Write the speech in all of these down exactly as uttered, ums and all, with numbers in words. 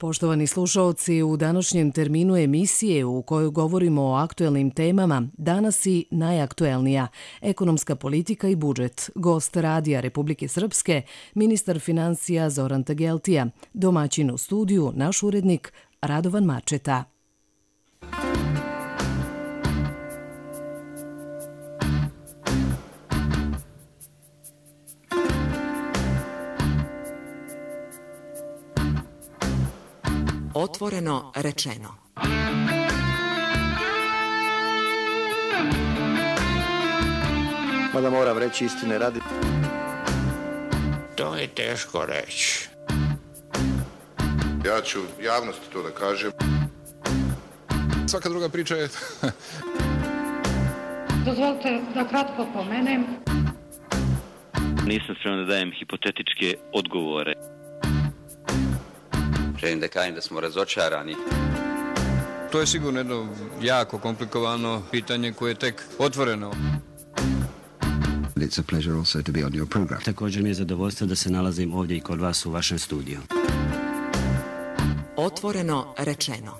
Poštovani slušaoci, u današnjem terminu emisije u kojoj govorimo o aktuelnim temama, danas i najaktuelnija – ekonomska politika i budžet. Gost Radija Republike Srpske, ministar financija Zoran Tegeltija, domaćin u studiju, naš urednik Radovan Mačeta. Otvoreno rečeno. Mada moram reći istine radi. To je teško reći. Ja ću javnosti to da kažem. Svaka druga priča je... Dozvolite da kratko pomenem. Nisam spreman da dajem hipotetičke odgovore. Želim da kažem da smo razočarani. To je sigurno jedno jako komplikovano pitanje koje je tek otvoreno. It's a pleasure also to be on your program. Također mi je zadovoljstvo da se nalazim ovdje i kod vas u vašem studiju. Otvoreno rečeno.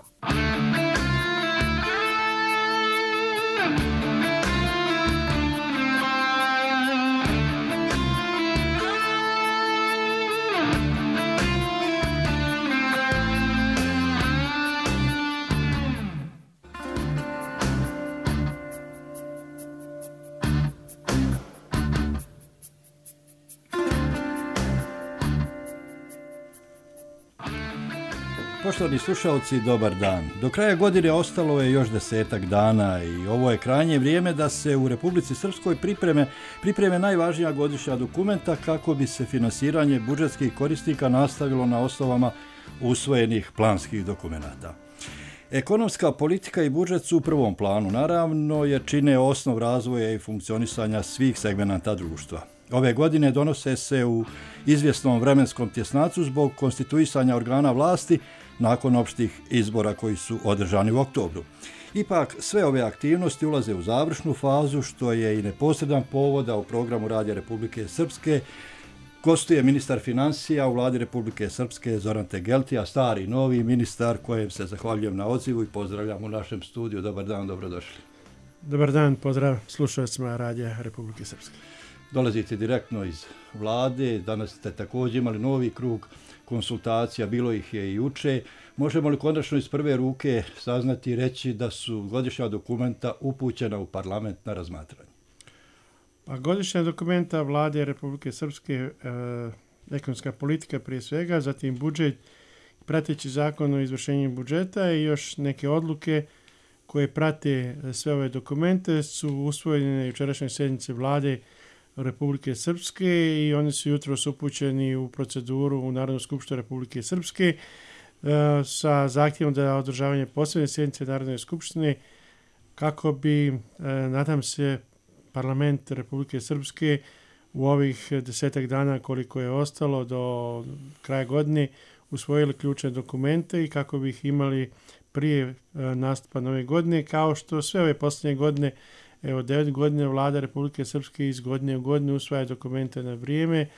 Poštovani slušalci, dobar dan. Do kraja godine ostalo je još desetak dana i ovo je krajnje vrijeme da se u Republici Srpskoj pripreme, pripreme najvažnija godišnja dokumenta kako bi se finansiranje budžetskih korisnika nastavilo na osnovama usvojenih planskih dokumenata. Ekonomska politika i budžet su u prvom planu, naravno, jer čine osnov razvoja i funkcionisanja svih segmenata društva. Ove godine donose se u izvjesnom vremenskom tjesnacu zbog konstituisanja organa vlasti nakon opštih izbora koji su održani u oktobru. Ipak, sve ove aktivnosti ulaze u završnu fazu, što je i neposredan povod da u programu Radija Republike Srpske gostuje ministar financija u Vladi Republike Srpske Zoran Tegeltija, stari novi ministar kojem se zahvaljujem na odzivu i pozdravljam u našem studiju. Dobar dan, dobrodošli. Dobar dan, pozdrav slušalcima Radija Republike Srpske. Dolazite direktno iz vlade, danas ste također imali novi krug konsultacija, bilo ih je i juče. Možemo li konačno iz prve ruke saznati i reći da su godišnja dokumenta upućena u parlament na razmatranje? Pa godišnja dokumenta Vlade Republike Srpske, e, ekonomska politika prije svega, zatim budžet, prateći zakon o izvršenju budžeta i još neke odluke koje prate sve ove dokumente su usvojene na jučerašnjoj sjednici Vlade Republike Srpske i oni su jutros upućeni u proceduru u Narodnu skupštinu Republike Srpske e, sa zahtjevom da održavanje posebne sjednice Narodne skupštine kako bi, e, nadam se, parlament Republike Srpske u ovih desetak dana koliko je ostalo do kraja godine usvojili ključne dokumente i kako bi ih imali prije e, nastupa nove godine, kao što sve ove posljednje godine. Evo, devet godina vlada Republike Srpske iz godine u godinu usvaja dokumente na vrijeme.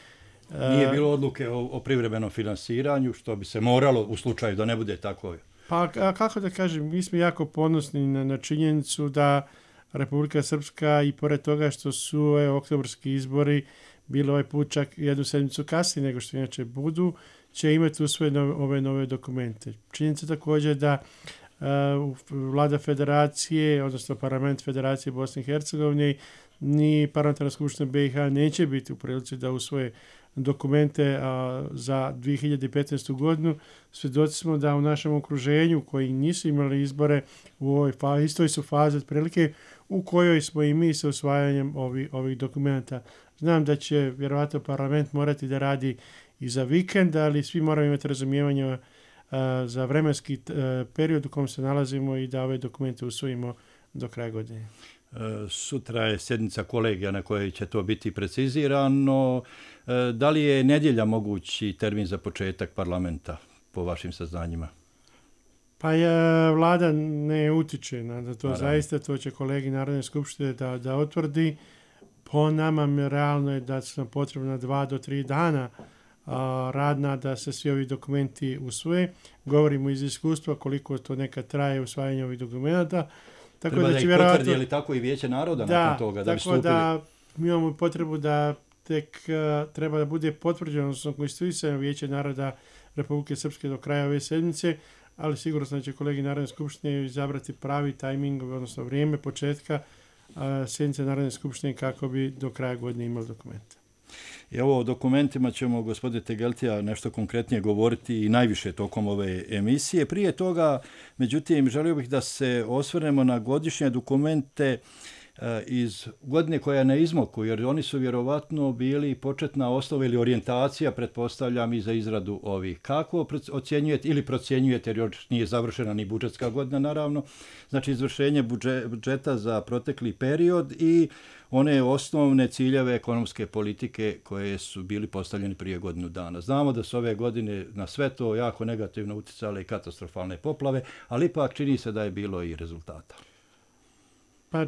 Nije bilo odluke o, o privremenom finansiranju, što bi se moralo u slučaju da ne bude tako. Pa a kako da kažem, mi smo jako ponosni na, na činjenicu da Republika Srpska i pored toga što su e, oktobarski izbori bili ovaj put čak jednu sedmicu kasnije nego što inače budu, će imati usvojene ove nove dokumente. Činjenica također da Uh, vlada federacije, odnosno parlament Federacije Bosne i Hercegovine ni parlamentarna skupština B i H neće biti u prilici da usvoje dokumente uh, za dvije hiljade petnaestu godinu. Svjedoci smo da u našem okruženju koji nisu imali izbore u ovoj fazi, istoj su fazi otprilike u kojoj smo i mi sa usvajanjem ovi, ovih dokumenta. Znam da će vjerovatno parlament morati da radi i za vikend, ali svi moramo imati razumijevanje za vremenski period u kom se nalazimo i da ove dokumente usvojimo do kraja godine. Sutra je sjednica kolegija na kojoj će to biti precizirano. Da li je nedjelja mogući termin za početak parlamenta po vašim saznanjima? Pa je, vlada ne utiče na to. Naravno. Zaista to će kolegi Narodne skupštine da, da otvrdi. Po nama realno je da su nam potrebna dva do tri dana a, radna da se svi ovi dokumenti usvoje. Govorimo iz iskustva koliko to nekad traje usvajanje ovih dokumenta. Tako Treba da, da ih vjerovatno... potvrdi, je li tako i Vijeće naroda da, nakon toga, da bi stupili? Da, mi imamo potrebu da tek uh, treba da bude potvrđeno, odnosno konstituisano Vijeće naroda Republike Srpske do kraja ove sedmice, ali sigurno sam da će kolegi Narodne skupštine izabrati pravi tajming, odnosno vrijeme početka uh, sedmice Narodne skupštine kako bi do kraja godine imali dokumente. I ovo o dokumentima ćemo, gospodine Tegeltija, nešto konkretnije govoriti i najviše tokom ove emisije. Prije toga, međutim, želio bih da se osvrnemo na godišnje dokumente iz godine koja je na izmoku, jer oni su vjerovatno bili početna osnova ili orijentacija, pretpostavljam, i za izradu ovih. Kako ocjenjujete ili procjenjujete, jer još nije završena ni budžetska godina, naravno, znači izvršenje budžeta za protekli period i one osnovne ciljeve ekonomske politike koje su bili postavljeni prije godinu dana. Znamo da su ove godine na sve to jako negativno utjecale i katastrofalne poplave, ali ipak čini se da je bilo i rezultata. Pa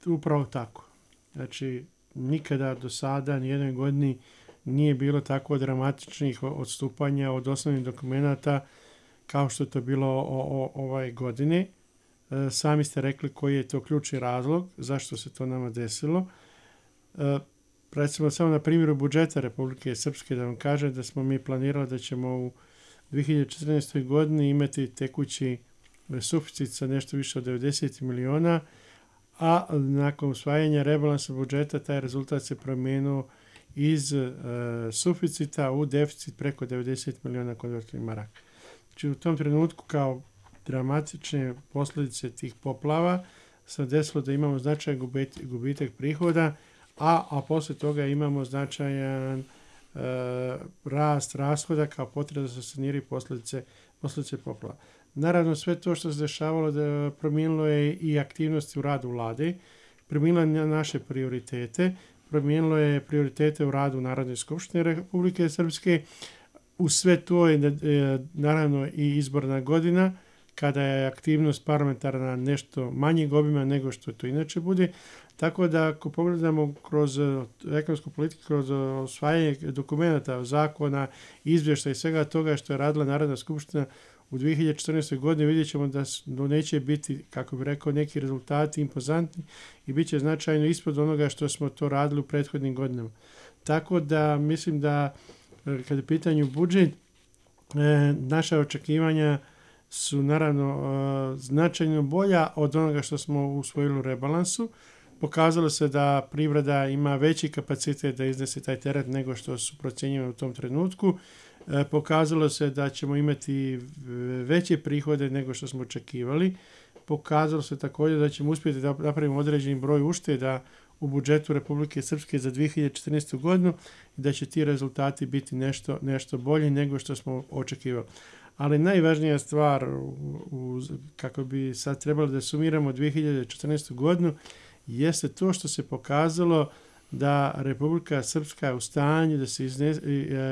upravo tako. Znači, nikada do sada, nijednoj godini nije bilo tako dramatičnih odstupanja od osnovnih dokumenta kao što je to bilo o, o, ovaj godine. E, sami ste rekli koji je to ključni razlog, zašto se to nama desilo. E, recimo samo na primjeru budžeta Republike Srpske da vam kažem da smo mi planirali da ćemo u dvije hiljade četrnaestoj godini imati tekući suficit sa nešto više od devedeset miliona, a nakon usvajanja rebalansa budžeta taj rezultat se promijenio iz e, suficita u deficit preko devedeset miliona konvertibilnih maraka. Znači u tom trenutku kao dramatične posljedice tih poplava se desilo da imamo značajan gubitak, gubitak prihoda, a, a poslije toga imamo značajan e, rast rashoda kao potreba da se saniraju posljedice, posljedice poplava. Naravno, sve to što se dešavalo da promijenilo je i aktivnosti u radu vlade, promijenilo je naše prioritete, promijenilo je prioritete u radu Narodne skupštine Republike Srpske. U sve to je naravno i izborna godina, kada je aktivnost parlamentarna nešto manjeg obima nego što to inače bude. Tako da ako pogledamo kroz ekonomsku politiku, kroz osvajanje dokumenta, zakona, izvještaja i svega toga što je radila Narodna skupština u dvije hiljade četrnaestoj godini, vidjet ćemo da neće biti, kako bih rekao, neki rezultati impozantni i bit će značajno ispod onoga što smo to radili u prethodnim godinama. Tako da mislim da kada je pitanju budžet, naša očekivanja su naravno značajno bolja od onoga što smo usvojili u rebalansu. Pokazalo se da privreda ima veći kapacitet da iznese taj teret nego što su procjenjivani u tom trenutku. Pokazalo se da ćemo imati veće prihode nego što smo očekivali. Pokazalo se također da ćemo uspjeti da napravimo određeni broj ušteda u budžetu Republike Srpske za dvije hiljade četrnaestu godinu i da će ti rezultati biti nešto, nešto bolji nego što smo očekivali. Ali najvažnija stvar, u, u, kako bi sad trebalo da sumiramo dvije hiljade četrnaestu godinu, jeste to što se pokazalo da Republika Srpska je u stanju da se izne,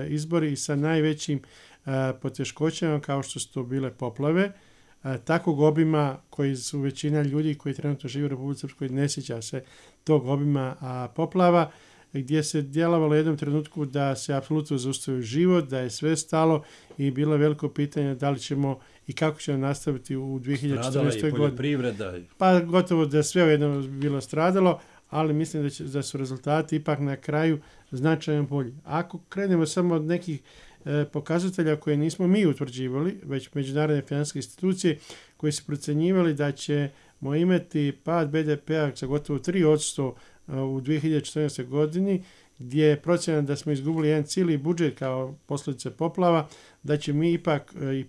izbori sa najvećim poteškoćama kao što su to bile poplave, takvog obima koji su većina ljudi koji trenutno žive u Republici Srpskoj ne sjeća se tog obima poplava, gdje se djelovalo u jednom trenutku da se apsolutno zaustavio život, da je sve stalo i bilo je veliko pitanje da li ćemo i kako ćemo nastaviti u dvije hiljade četrnaestoj godini. Pa gotovo da sve ujedno bilo stradalo, ali mislim da, će, da su rezultati ipak na kraju značajno bolji. Ako krenemo samo od nekih e, pokazatelja koje nismo mi utvrđivali, već međunarodne financijske institucije koje su procenjivali da ćemo imati pad be de pe-a za gotovo tri posto u dvije hiljade četrnaestoj godini, gdje je procjena da smo izgubili jedan cijeli budžet kao posljedice poplava, da će mi ipak e, e,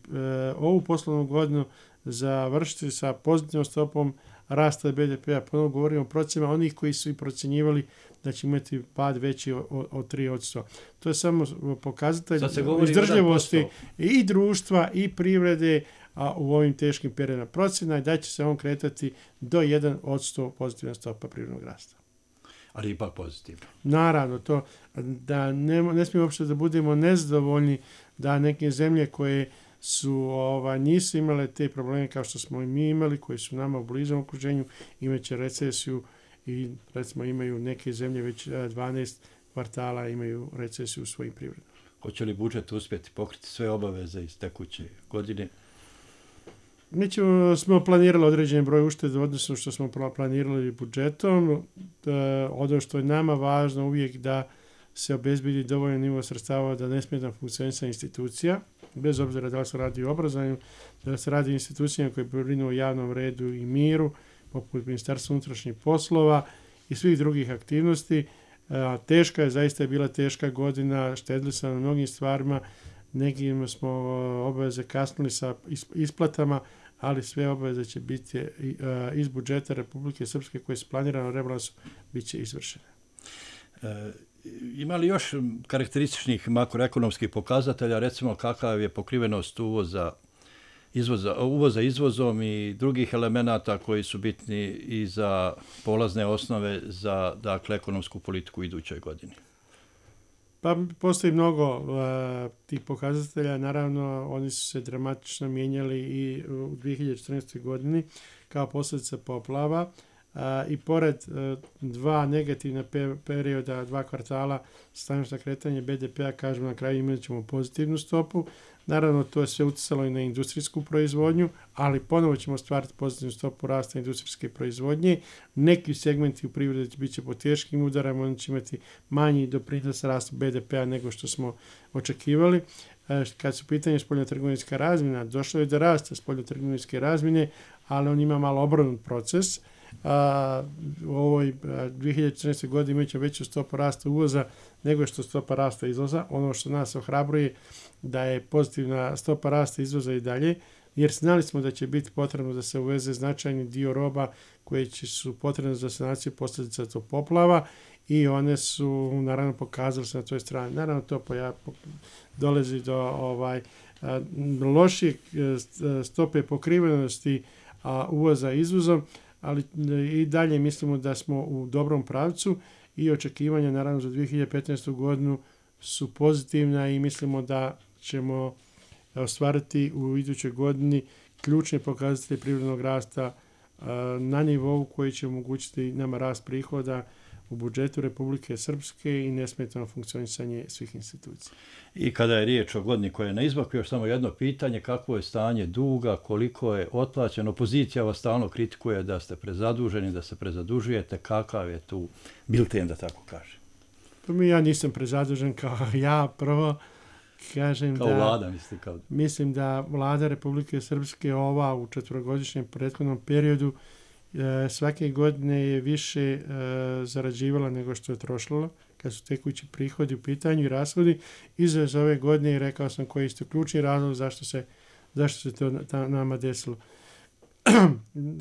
ovu poslovnu godinu završiti sa pozitivnom stopom rasta be de pe-a. Ponovno govorimo o procjenama onih koji su i procjenjivali da će imati pad veći od, od tri posto. To je samo pokazatelj izdržljivosti i društva i privrede a u ovim teškim periodima. Procjena je da će se on kretati do jedan posto pozitivna stopa privrednog rasta. Ali ipak pozitivno. Naravno, to da ne, ne smijemo uopšte da budemo nezadovoljni da neke zemlje koje su ova, nisu imale te probleme kao što smo i mi imali, koji su nama u blizom okruženju, imaće recesiju i recimo imaju neke zemlje već dvanaest kvartala imaju recesiju u svojim privredama. Hoće li budžet uspjeti pokriti sve obaveze iz tekuće godine? Mi ćemo, smo planirali određen broj ušteda, odnosno što smo planirali budžetom. Da, ono što je nama važno uvijek da se obezbedi dovoljan nivo sredstava da ne smeta funkcionisanje institucija, bez obzira da li se radi o obrazovanju, da se radi o institucijama koje brinu o javnom redu i miru, poput Ministarstva unutrašnjih poslova i svih drugih aktivnosti. A, teška je, zaista je bila teška godina, štedili smo na mnogim stvarima, nekim smo obaveze kasnili sa isplatama, ali sve obaveze će biti iz budžeta Republike Srpske koje su planirano rebalansu bit će izvršene. E, ima li još karakterističnih makroekonomskih pokazatelja, recimo kakav je pokrivenost uvoza izvoza, uvoza izvozom i drugih elemenata koji su bitni i za polazne osnove za, dakle, ekonomsku politiku u idućoj godini? Pa postoji mnogo uh, tih pokazatelja, naravno oni su se dramatično mijenjali i u dvije hiljade četrnaestoj godini kao posljedica poplava uh, i pored uh, dva negativna pe- perioda, dva kvartala staničnog kretanja be de pea, kažemo na kraju imat ćemo pozitivnu stopu. Naravno, to je sve utjecalo i na industrijsku proizvodnju, ali ponovo ćemo stvariti pozitivnu stopu rasta industrijske proizvodnje. Neki segmenti u privredi bit će pod teškim udarama, oni će imati manji doprinos rastu be de pea nego što smo očekivali. Kad su pitanje spoljnotrgovinska razmjena, došlo je do rasta spoljnotrgovinske razmjene, ali on ima malo obrnut proces. A, u ovoj dvije hiljade četrnaestoj godini imat će veću stopu rasta uvoza nego što stopa rasta izvoza. Ono što nas ohrabruje da je pozitivna stopa rasta izvoza i dalje, jer znali smo da će biti potrebno da se uveze značajni dio roba koje će, su potrebne za sanaciju posljedica tog poplava i one su naravno pokazali se na toj strani. Naravno to poja, dolazi do ovaj, loših stope pokrivenosti a, uvoza izvozom, ali i dalje mislimo da smo u dobrom pravcu i očekivanja naravno za dvije hiljade petnaestu godinu su pozitivna i mislimo da ćemo ostvariti u idućoj godini ključne pokazatelje privrednog rasta na nivou koji će omogućiti nama rast prihoda u budžetu Republike Srpske i nesmetano funkcionisanje svih institucija. I kada je riječ o godini koja je na izmaku, još samo jedno pitanje, kakvo je stanje duga, koliko je otplaćeno? Opozicija vas stalno kritikuje da ste prezaduženi, da se prezadužujete, kakav je tu bilten, da tako kažem? Pa mi ja nisam prezadužen kao ja, prvo kažem kao da... vlada, mislite kao... Mislim da vlada Republike Srpske ova u četvorogodišnjem prethodnom periodu svake godine je više e, zarađivala nego što je trošila, kad su tekući prihodi u pitanju i rashodi. I za ove godine rekao sam koji je ključni razlog zašto se, zašto se to ta, nama desilo.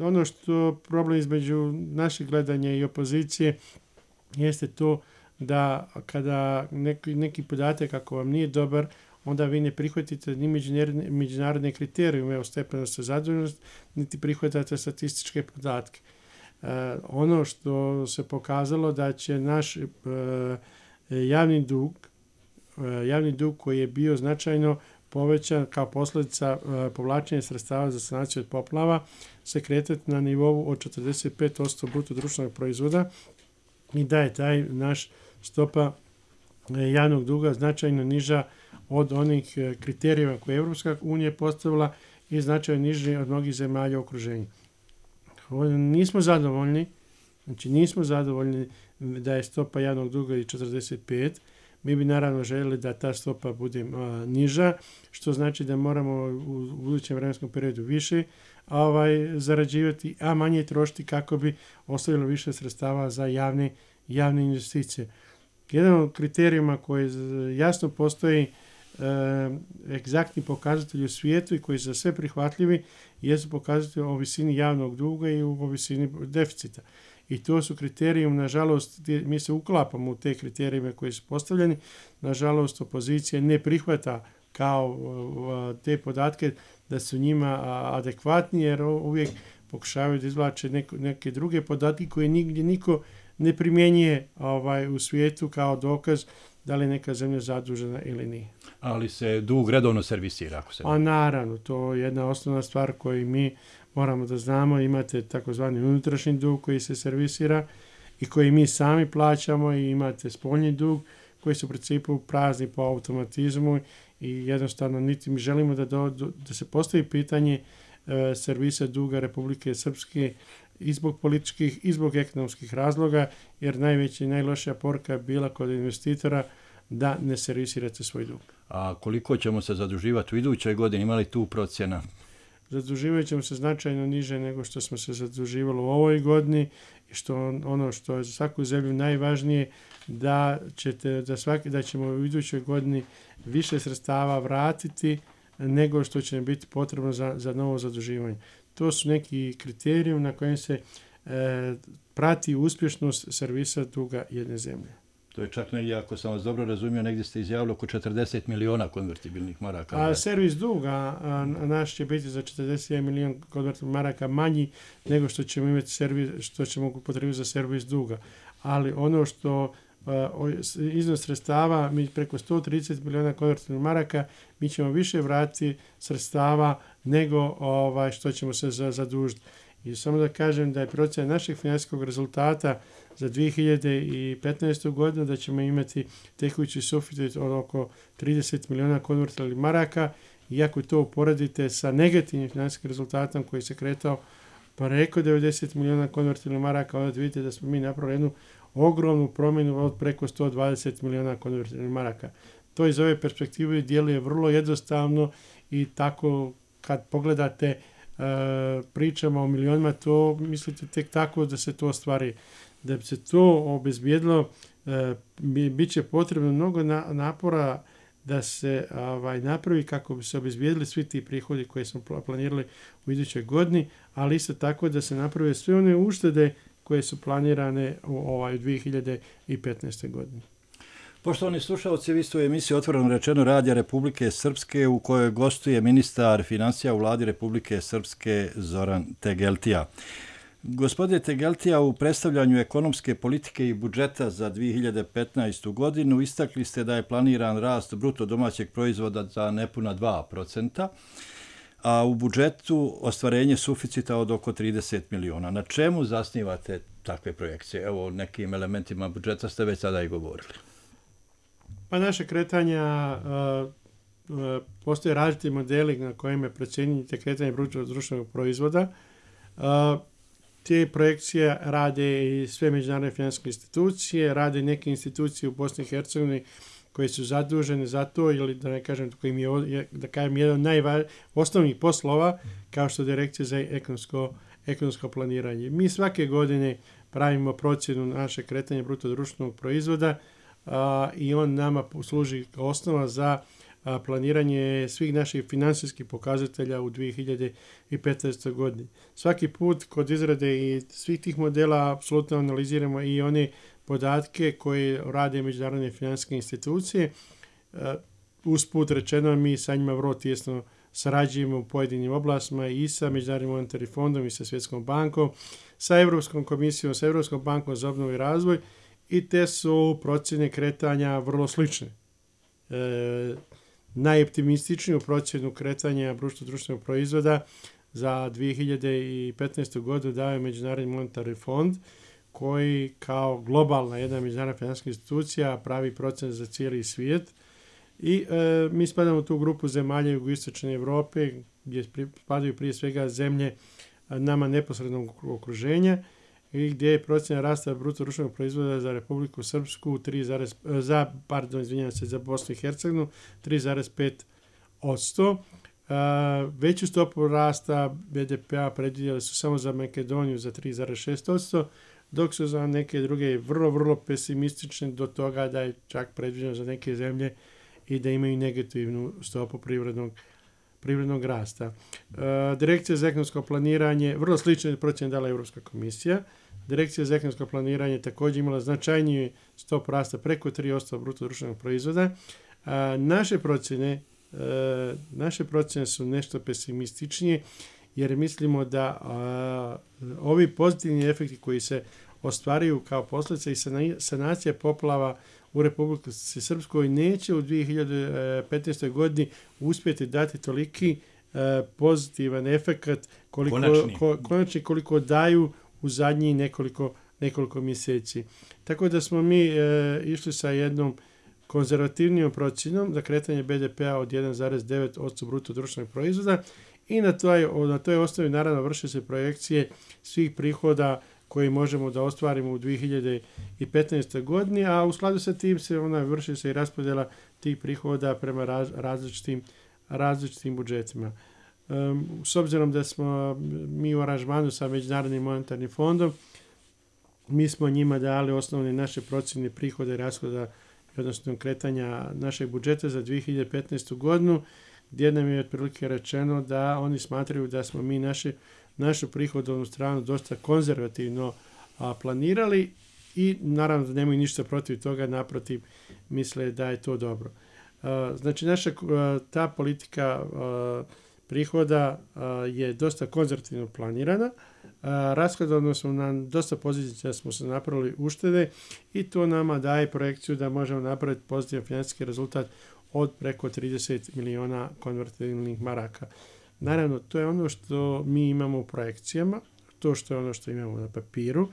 Ono što problem između našeg gledanja i opozicije jeste to da kada neki, neki podatak ako vam nije dobar, onda vi ne prihvatite ni međunarodne, međunarodne kriterijume o stepenosti zaduženosti, niti prihvatate statističke podatke. E, ono što se pokazalo da će naš e, javni dug, e, javni dug koji je bio značajno povećan kao posljedica e, povlačenja sredstava za sanaciju od poplava, se kretati na nivou od četrdeset pet posto bruto društvenog proizvoda i da je taj naš stopa e, javnog duga značajno niža od onih kriterijeva koje je Evropska unija postavila i značajno niži od mnogih zemalja u okruženju. Nismo zadovoljni, znači nismo zadovoljni da je stopa javnog duga i četrdeset pet. Mi bi naravno željeli da ta stopa bude a, niža, što znači da moramo u budućem vremenskom periodu više ovaj, zarađivati, a manje trošiti kako bi ostavilo više sredstava za javne, javne investicije. Jedan od kriterijuma koji jasno postoji egzaktni pokazatelji u svijetu i koji su za sve prihvatljivi jesu pokazatelji o visini javnog duga i o visini deficita. I to su kriterijum, nažalost, mi se uklapamo u te kriterijime koji su postavljeni. Nažalost, opozicija ne prihvata kao te podatke da su njima adekvatni, jer uvijek pokušavaju da izvlače neko, neke druge podatke koje nigdje niko ne primjenjuje ovaj, u svijetu kao dokaz da li neka zemlja zadužena ili nije. Ali se dug redovno servisira? Ako se A naravno, to je jedna osnovna stvar koju mi moramo da znamo. Imate takozvani unutrašnji dug koji se servisira i koji mi sami plaćamo i imate spoljni dug koji su u principu prazni po automatizmu i jednostavno niti mi želimo da, do, da se postavi pitanje e, servisa duga Republike Srpske i zbog političkih i zbog ekonomskih razloga, jer najveća i najlošija poruka je bila kod investitora da ne servisirate svoj dug. A koliko ćemo se zaduživati u idućoj godini? Ima li tu procjena? Zaduživat ćemo se značajno niže nego što smo se zaduživali u ovoj godini i što on, ono što je za svaku zemlju najvažnije da, ćete, da, svaki, da ćemo u idućoj godini više sredstava vratiti nego što će biti potrebno za, za novo zaduživanje. To su neki kriterijum na kojem se e, prati uspješnost servisa duga jedne zemlje. To je čak negdje, ako sam vas dobro razumio, negdje ste izjavili oko četrdeset miliona konvertibilnih maraka. A servis duga a, naš će biti za četrdeset jedan milion konvertibilnih maraka manji nego što ćemo imati servis, što ćemo upotrebiti za servis duga. Ali ono što a, iznos sredstava, mi preko sto trideset miliona konvertibilnih maraka, mi ćemo više vratiti sredstava nego ovaj, što ćemo se zadužiti. I samo da kažem da je procjena našeg financijskog rezultata za dvije hiljade petnaestu. godinu da ćemo imati tekući suficit od oko trideset miliona konvertibilnih maraka. Iako to uporedite sa negativnim financijskim rezultatom koji se kretao preko devedeset miliona konvertibilnih maraka, onda vidite da smo mi napravili jednu ogromnu promjenu od preko sto dvadeset miliona konvertibilnih maraka. To iz ove perspektive djeluje vrlo jednostavno i tako kad pogledate Uh, pričamo o milionima, to mislite tek tako da se to ostvari. Da bi se to obezbijedilo, uh, bi, bit će potrebno mnogo na, napora da se ovaj, napravi kako bi se obezbijedili svi ti prihodi koje smo planirali u idućoj godini, ali isto tako da se naprave sve one uštede koje su planirane u ovaj, dvije hiljade petnaestoj. godini. Poštovani slušalci, vi ste u emisiji Otvoreno rečeno Radija Republike Srpske u kojoj gostuje ministar financija u vladi Republike Srpske Zoran Tegeltija. Gospodine Tegeltija, u predstavljanju ekonomske politike i budžeta za dvije hiljade petnaestu. godinu istakli ste da je planiran rast bruto domaćeg proizvoda za nepuna dva procenta, a u budžetu ostvarenje suficita od oko trideset miliona. Na čemu zasnivate takve projekcije? Evo, o nekim elementima budžeta ste već sada i govorili. Pa naše kretanja, uh, uh, postoje različiti modeli na kojima procjenjujete kretanje bruto društvenog proizvoda. Uh, te projekcije rade i sve međunarodne financijske institucije, rade neke institucije u Bosni i Hercegovini koje su zadužene za to, ili da ne kažem, kojim je, da kažem, jedan od najvažnijih osnovnih poslova, kao što je Direkcija za ekonomsko, ekonomsko planiranje. Mi svake godine pravimo procjenu naše kretanja bruto društvenog proizvoda, Uh, i on nama služi kao osnova za uh, planiranje svih naših financijskih pokazatelja u dvije hiljade petnaestoj. godini. Svaki put kod izrade i svih tih modela apsolutno analiziramo i one podatke koje rade međunarodne financijske institucije. Uh, usput rečeno, mi sa njima vrlo tijesno sarađujemo u pojedinim oblastima i sa Međunarodnim monetarnim fondom i sa Svjetskom bankom, sa Europskom komisijom, sa Europskom bankom za obnovu i razvoj. I te su procjene kretanja vrlo slične. E, najoptimističniju procjenu kretanja bruto društvenog proizvoda za dvije hiljade petnaestu. godinu daje Međunarodni monetarni fond, koji kao globalna jedna međunarodna financijska institucija pravi procjene za cijeli svijet. I e, mi spadamo u tu grupu zemalja jugoistočne Europe, gdje spadaju prije svega zemlje nama neposrednog okruženja, i gdje je procjena rasta bruto društvenog proizvoda za Republiku Srpsku tri, za, pardon, izvinjam se, za Bosnu i Hercegovinu tri zarez pet posto. Uh, veću stopu rasta be de pe-a predvidjeli su samo za Makedoniju za tri zarez šest posto, dok su za neke druge vrlo, vrlo pesimistične do toga da je čak predviđeno za neke zemlje i da imaju negativnu stopu privrednog privrednog rasta. Uh, Direkcija za ekonomsko planiranje, vrlo slične procjene dala Europska komisija. Direkcija za ekonomsko planiranje također imala značajniju stopu rasta preko tri posto bruto društvenog proizvoda. Uh, naše procjene, uh, naše procjene su nešto pesimističnije, jer mislimo da uh, ovi pozitivni efekti koji se ostvaruju kao posljedica i sanacija poplava u Republici Srpskoj neće u dvije hiljade petnaestoj. godini uspjeti dati toliki uh, pozitivan efekat koliko, ko, konačni koliko daju u zadnjih nekoliko, nekoliko mjeseci. Tako da smo mi uh, išli sa jednom konzervativnijom procjenom za kretanje be de pe-a od jedan zarez devet posto bruto društvenog proizvoda i na toj, na toj osnovi naravno vrše se projekcije svih prihoda koji možemo da ostvarimo u dvije hiljade petnaestoj godini, a u skladu sa tim se ona vrši se i raspodjela tih prihoda prema raz, različitim, različitim budžetima. Um, s obzirom da smo mi u aranžmanu sa Međunarodnim monetarnim fondom, mi smo njima dali osnovne naše procjene prihoda i rashoda, odnosno kretanja našeg budžeta za dvije hiljade petnaestu godinu, gdje nam je otprilike rečeno da oni smatraju da smo mi naše, našu prihodovnu stranu dosta konzervativno a, planirali i naravno da nemaju ništa protiv toga, naprotiv misle da je to dobro. A, znači naša a, ta politika a, prihoda a, je dosta konzervativno planirana. Rashodovno smo na dosta pozicija smo se napravili uštede i to nama daje projekciju da možemo napraviti pozitivan financijski rezultat od preko trideset miliona konvertibilnih maraka. Naravno, to je ono što mi imamo u projekcijama, to što je ono što imamo na papiru.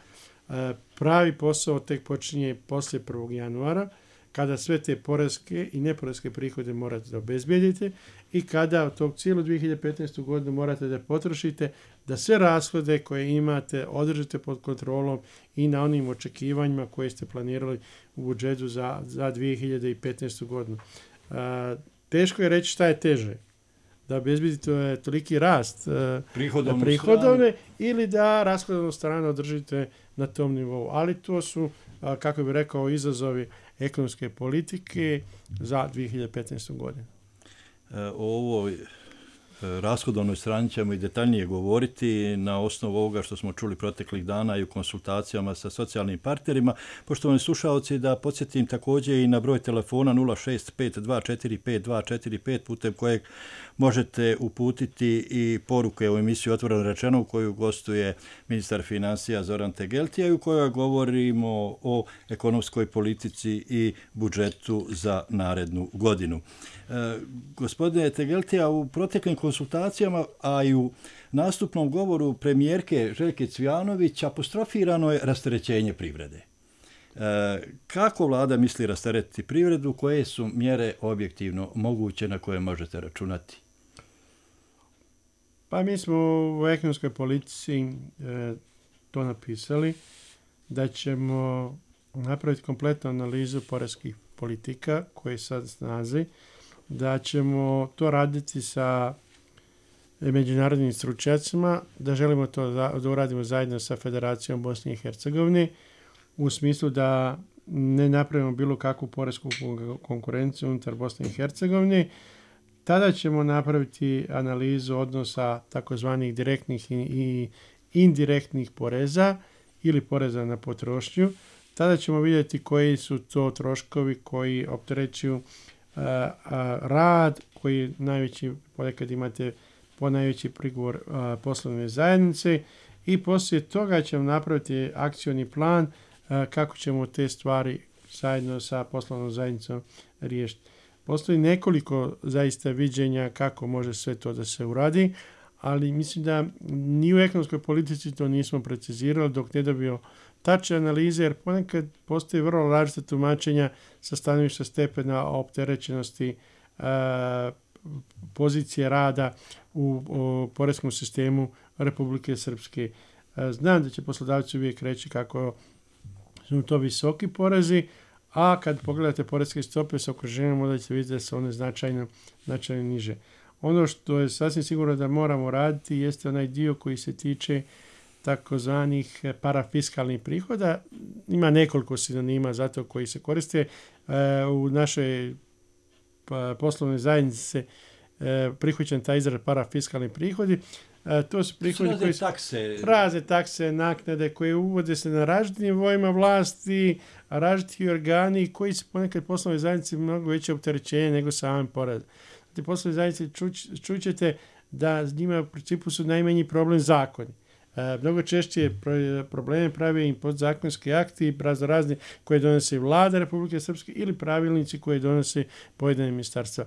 Pravi posao tek počinje poslije prvog januara, kada sve te poreske i neporeske prihode morate da obezbijedite i kada od tog cijelu dvije hiljade petnaestu godinu morate da potrošite, da sve rashode koje imate održite pod kontrolom i na onim očekivanjima koje ste planirali u budžetu za, za dvije hiljade petnaestu godinu. A, teško je reći šta je teže. Da obezbijedite toliki rast prihodovne, prihodovne ili da rashodovnu stranu održite na tom nivou. Ali to su, a, kako bih rekao, izazovi ekonomske politike za dvije hiljade petnaestu godinu. O ovoj rashodovnoj strani ćemo i detaljnije govoriti na osnovu ovoga što smo čuli proteklih dana i u konsultacijama sa socijalnim partnerima. Poštovani slušalci, da podsjetim također i na broj telefona nula šest pet dva četiri pet dva četiri pet putem kojeg možete uputiti i poruke u emisiju Otvoreno rečeno u koju gostuje ministar financija Zoran Tegeltija i u kojoj govorimo o ekonomskoj politici i budžetu za narednu godinu. E, gospodine Tegeltija, u proteklim konsultacijama, a i u nastupnom govoru premijerke Željke Cvijanović apostrofirano je rasterećenje privrede. E, kako vlada misli rasteretiti privredu, koje su mjere objektivno moguće na koje možete računati? Pa mi smo u ekonomskoj politici e, to napisali, da ćemo napraviti kompletnu analizu poreskih politika koje sad snazi, da ćemo to raditi sa međunarodnim stručnjacima, da želimo to da uradimo zajedno sa Federacijom Bosne i Hercegovine u smislu da ne napravimo bilo kakvu poresku konkurenciju unutar Bosne i Hercegovine. Tada ćemo napraviti analizu odnosa takozvanih direktnih i indirektnih poreza ili poreza na potrošnju. Tada ćemo vidjeti koji su to troškovi koji opterećuju a, a, rad, koji najveći, ponekad imate po najveći prigovor a, poslovne zajednice i poslije toga ćemo napraviti akcioni plan a, kako ćemo te stvari zajedno sa poslovnom zajednicom riješiti. Postoji nekoliko zaista viđenja kako može sve to da se uradi, ali mislim da ni u ekonomskoj politici to nismo precizirali dok ne dobio tačne analize, jer ponekad postoji vrlo različita tumačenja sa stanovišta stepena opterećenosti e, pozicije rada u, u poreskom sistemu Republike Srpske. E, znam da će poslodavci uvijek reći kako su to visoki porezi, a kad pogledate poreske stope sa okruženjem, onda ćete vidjeti da su one značajno, značajno niže. Ono što je sasvim sigurno da moramo raditi jeste onaj dio koji se tiče takozvanih parafiskalnih prihoda. Ima nekoliko sinonima za to koji se koriste. E, u našoj poslovnoj zajednici se e, prihvaćen taj izraz parafiskalni prihodi. E, to su prihodi razne koji su takse. razne takse, naknade koje uvode se na različitim nivoima vlasti, različiti organi koji se ponekad poslovne zajednice mnogo veće opterećenje nego samim porezom. Te poslovne zajednice čućete da s njima u principu su najmanji problem zakoni. E, mnogo češće probleme pravi im podzakonski akti, razni koje donose vlada Republike Srpske ili pravilnici koje donose pojedine ministarstva.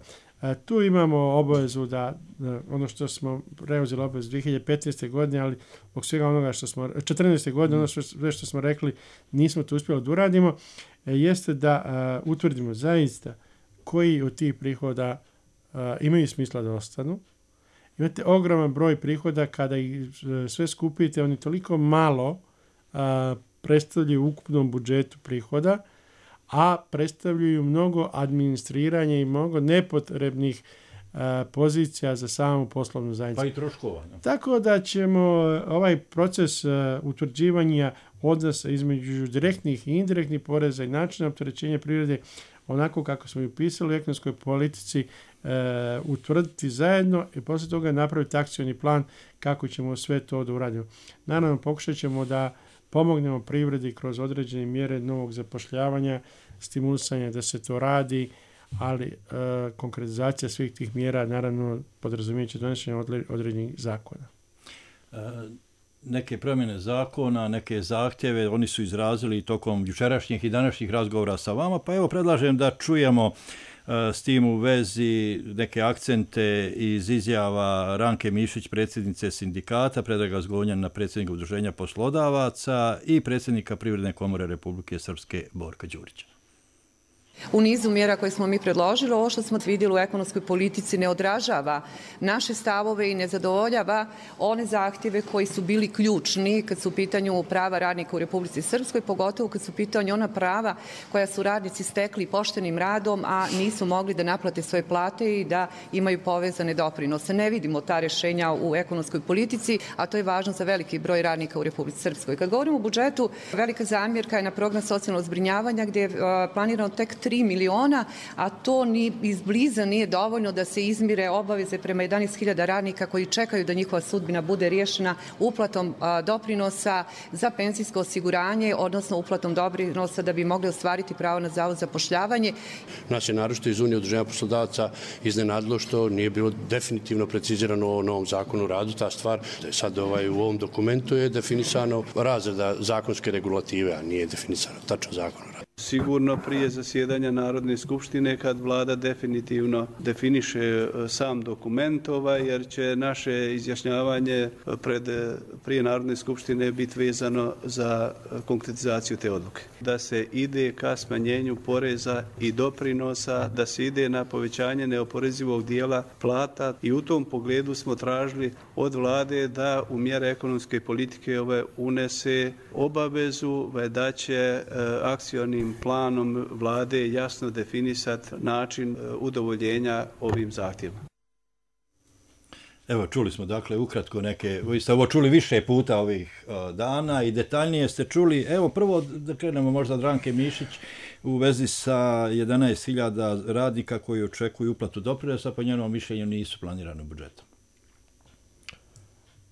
Tu imamo obavezu da, da ono što smo preuzeli obavezu dvije hiljade petnaeste. godine, ali zbog svega onoga što smo, četrnaeste. godine, ono sve što smo rekli, nismo to uspjeli da uradimo, jeste da uh, utvrdimo zaista koji od tih prihoda uh, imaju smisla da ostanu. Imate ogroman broj prihoda, kada ih sve skupite, oni toliko malo uh, predstavljaju u ukupnom budžetu prihoda, a predstavljaju mnogo administriranja i mnogo nepotrebnih uh, pozicija za samu poslovnu zajednicu. Pa i troškova. Ne? Tako da ćemo ovaj proces uh, utvrđivanja odnosa između direktnih i indirektnih poreza i načina opterećenja privrede, onako kako smo i upisali u ekonomskoj politici, uh, utvrditi zajedno i poslije toga napraviti akcioni plan kako ćemo sve to da uradimo. Naravno, pokušat ćemo da pomognemo privredi kroz određene mjere novog zapošljavanja, stimulisanja da se to radi, ali e, konkretizacija svih tih mjera naravno podrazumijeće donošenje određenih zakona. E, neke promjene zakona, neke zahtjeve, oni su izrazili tokom jučerašnjih i današnjih razgovora sa vama, pa evo predlažem da čujemo s tim u vezi neke akcente iz izjava Ranke Mišić, predsjednice sindikata, Predraga Zgonjana, predsjednika Udruženja poslodavaca i predsjednika Privredne komore Republike Srpske Borka Đurića. U nizu mjera koje smo mi predložili, ovo što smo vidjeli u ekonomskoj politici ne odražava naše stavove i ne zadovoljava one zahtjeve koji su bili ključni kad su u pitanju prava radnika u Republici Srpskoj, pogotovo kad su u pitanju ona prava koja su radnici stekli poštenim radom, a nisu mogli da naplate svoje plate i da imaju povezane doprinose. Ne vidimo ta rješenja u ekonomskoj politici, a to je važno za veliki broj radnika u Republici Srpskoj. Kad govorimo o budžetu, velika zamjerka je na program socijalnog zbrinjavanja gdje je planirano tek tri miliona, a to ni izbliza nije dovoljno da se izmire obaveze prema jedanaest hiljada radnika koji čekaju da njihova sudbina bude riješena uplatom a, doprinosa za penzijsko osiguranje, odnosno uplatom doprinosa da bi mogli ostvariti pravo na zavod za zapošljavanje. Nas je naročito iz Unije udruženja poslodavaca iznenadilo što nije bilo definitivno precizirano u novom zakonu o radu ta stvar. Sad ovaj, u ovom dokumentu je definisano razreda zakonske regulative, a nije definisano tačno zakon o radu. Sigurno prije zasjedanja Narodne skupštine kad vlada definitivno definiše sam dokument, ovaj, jer će naše izjašnjavanje pred, prije Narodne skupštine biti vezano za konkretizaciju te odluke. Da se ide ka smanjenju poreza i doprinosa, da se ide na povećanje neoporezivog dijela plata i u tom pogledu smo tražili od vlade da u mjere ekonomske politike ove unese obavezu da će akcionim planom vlade jasno definisati način udovoljenja ovim zahtjevima. Evo, čuli smo dakle ukratko neke, vi ste ovo čuli više puta ovih uh, dana i detaljnije ste čuli. Evo, prvo da krenemo možda od Ranke Mišić u vezi sa jedanaest hiljada radnika koji očekuju uplatu doprinosa, po njenom mišljenju nisu planirani u budžetu.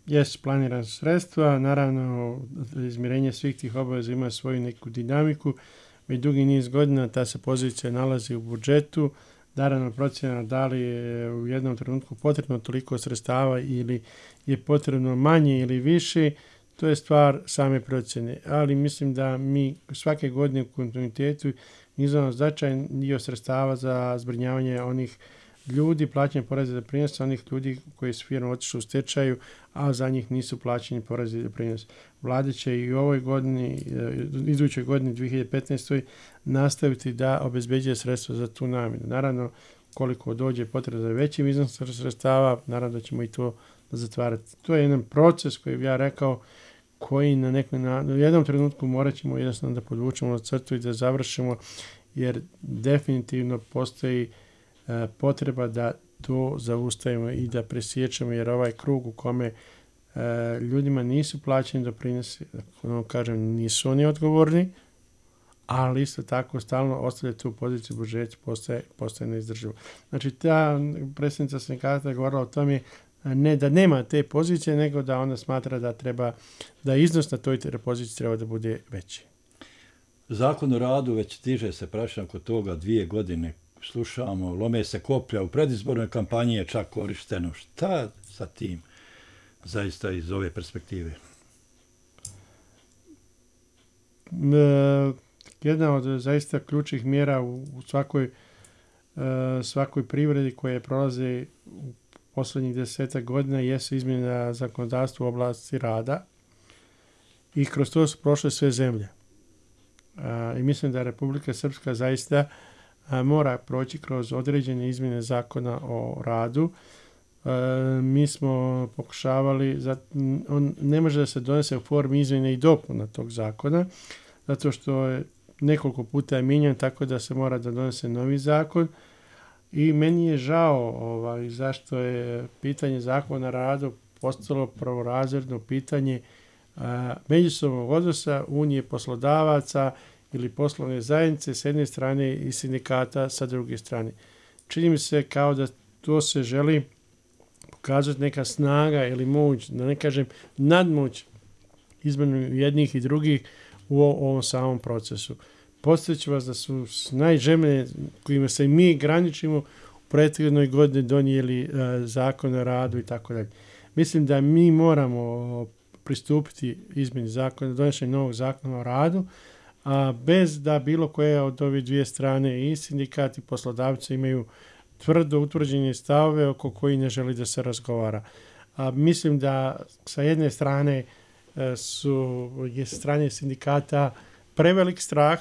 Jesu planirana sredstva, naravno izmirenje svih tih obaveza ima svoju neku dinamiku. Već dugi niz godina ta se pozicija nalazi u budžetu. Naravno, procjena da li je u jednom trenutku potrebno toliko sredstava ili je potrebno manje ili više, to je stvar same procjene. Ali mislim da mi svake godine u kontinuitetu izdvajamo značajan dio sredstava za zbrinjavanje onih ljudi, plaćanje poreza i doprinosa, onih ljudi koji su firme otišli u stečaju, a za njih nisu plaćeni porezi i doprinosa. Vlada će i u ovoj godini, idućoj godini dvije hiljade petnaeste. nastaviti da obezbeđuje sredstva za tu namjenu. Naravno, koliko dođe potreba za većim iznosom sredstava, naravno da ćemo i to zatvarati. To je jedan proces koji bi ja rekao, koji na nekom na jednom trenutku morat ćemo jednostavno da podvučemo na crtu i da završimo, jer definitivno postoji e, potreba da to zaustavimo i da presjećamo, jer ovaj krug u kome e, ljudima nisu plaćeni doprinosi, ono kažem, nisu oni odgovorni, ali isto tako stalno ostavlja tu poziciju u budžetu, postaje, postaje neizdrživo. Znači, ta predsjednica sindikata je govorila o tome ne da nema te pozicije, nego da ona smatra da treba, da iznos na toj poziciji treba da bude veći. Zakon o radu već stiže se prašan kod toga dvije godine. Slušamo, lome se koplja, u predizbornoj kampanji je čak korišteno. Šta sa tim zaista iz ove perspektive? E, jedna od zaista ključnih mjera u, u svakoj svakoj privredi koje prolaze u posljednjih desetak godina jesu izmjena zakonodavstva u oblasti rada i kroz to su prošle sve zemlje. I mislim da Republika Srpska zaista mora proći kroz određene izmjene zakona o radu. Mi smo pokušavali, on ne može da se donese u formi izmjene i dopuna tog zakona, zato što je nekoliko puta je mijenjan, tako da se mora da donese novi zakon. I meni je žao ovaj, zašto je pitanje zakona o radu postalo prvorazredno pitanje a, međusobnog odnosa Unije poslodavaca ili poslovne zajednice s jedne strane i sindikata sa druge strane. Čini mi se kao da to se želi pokazati neka snaga ili moć, da ne kažem nadmoć između jednih i drugih u ovom samom procesu. Podsjeću vas da su najžemlje kojima se mi graničimo u prethodnoj godini donijeli uh, zakon o radu i tako dalje. Mislim da mi moramo pristupiti izmjeni zakona, donošenju novog zakona o radu, a bez da bilo koje od ove dvije strane i sindikati i poslodavci imaju tvrdo utvrđene stavove oko koji ne želi da se razgovara. A mislim da sa jedne strane uh, su je sa strane sindikata prevelik strah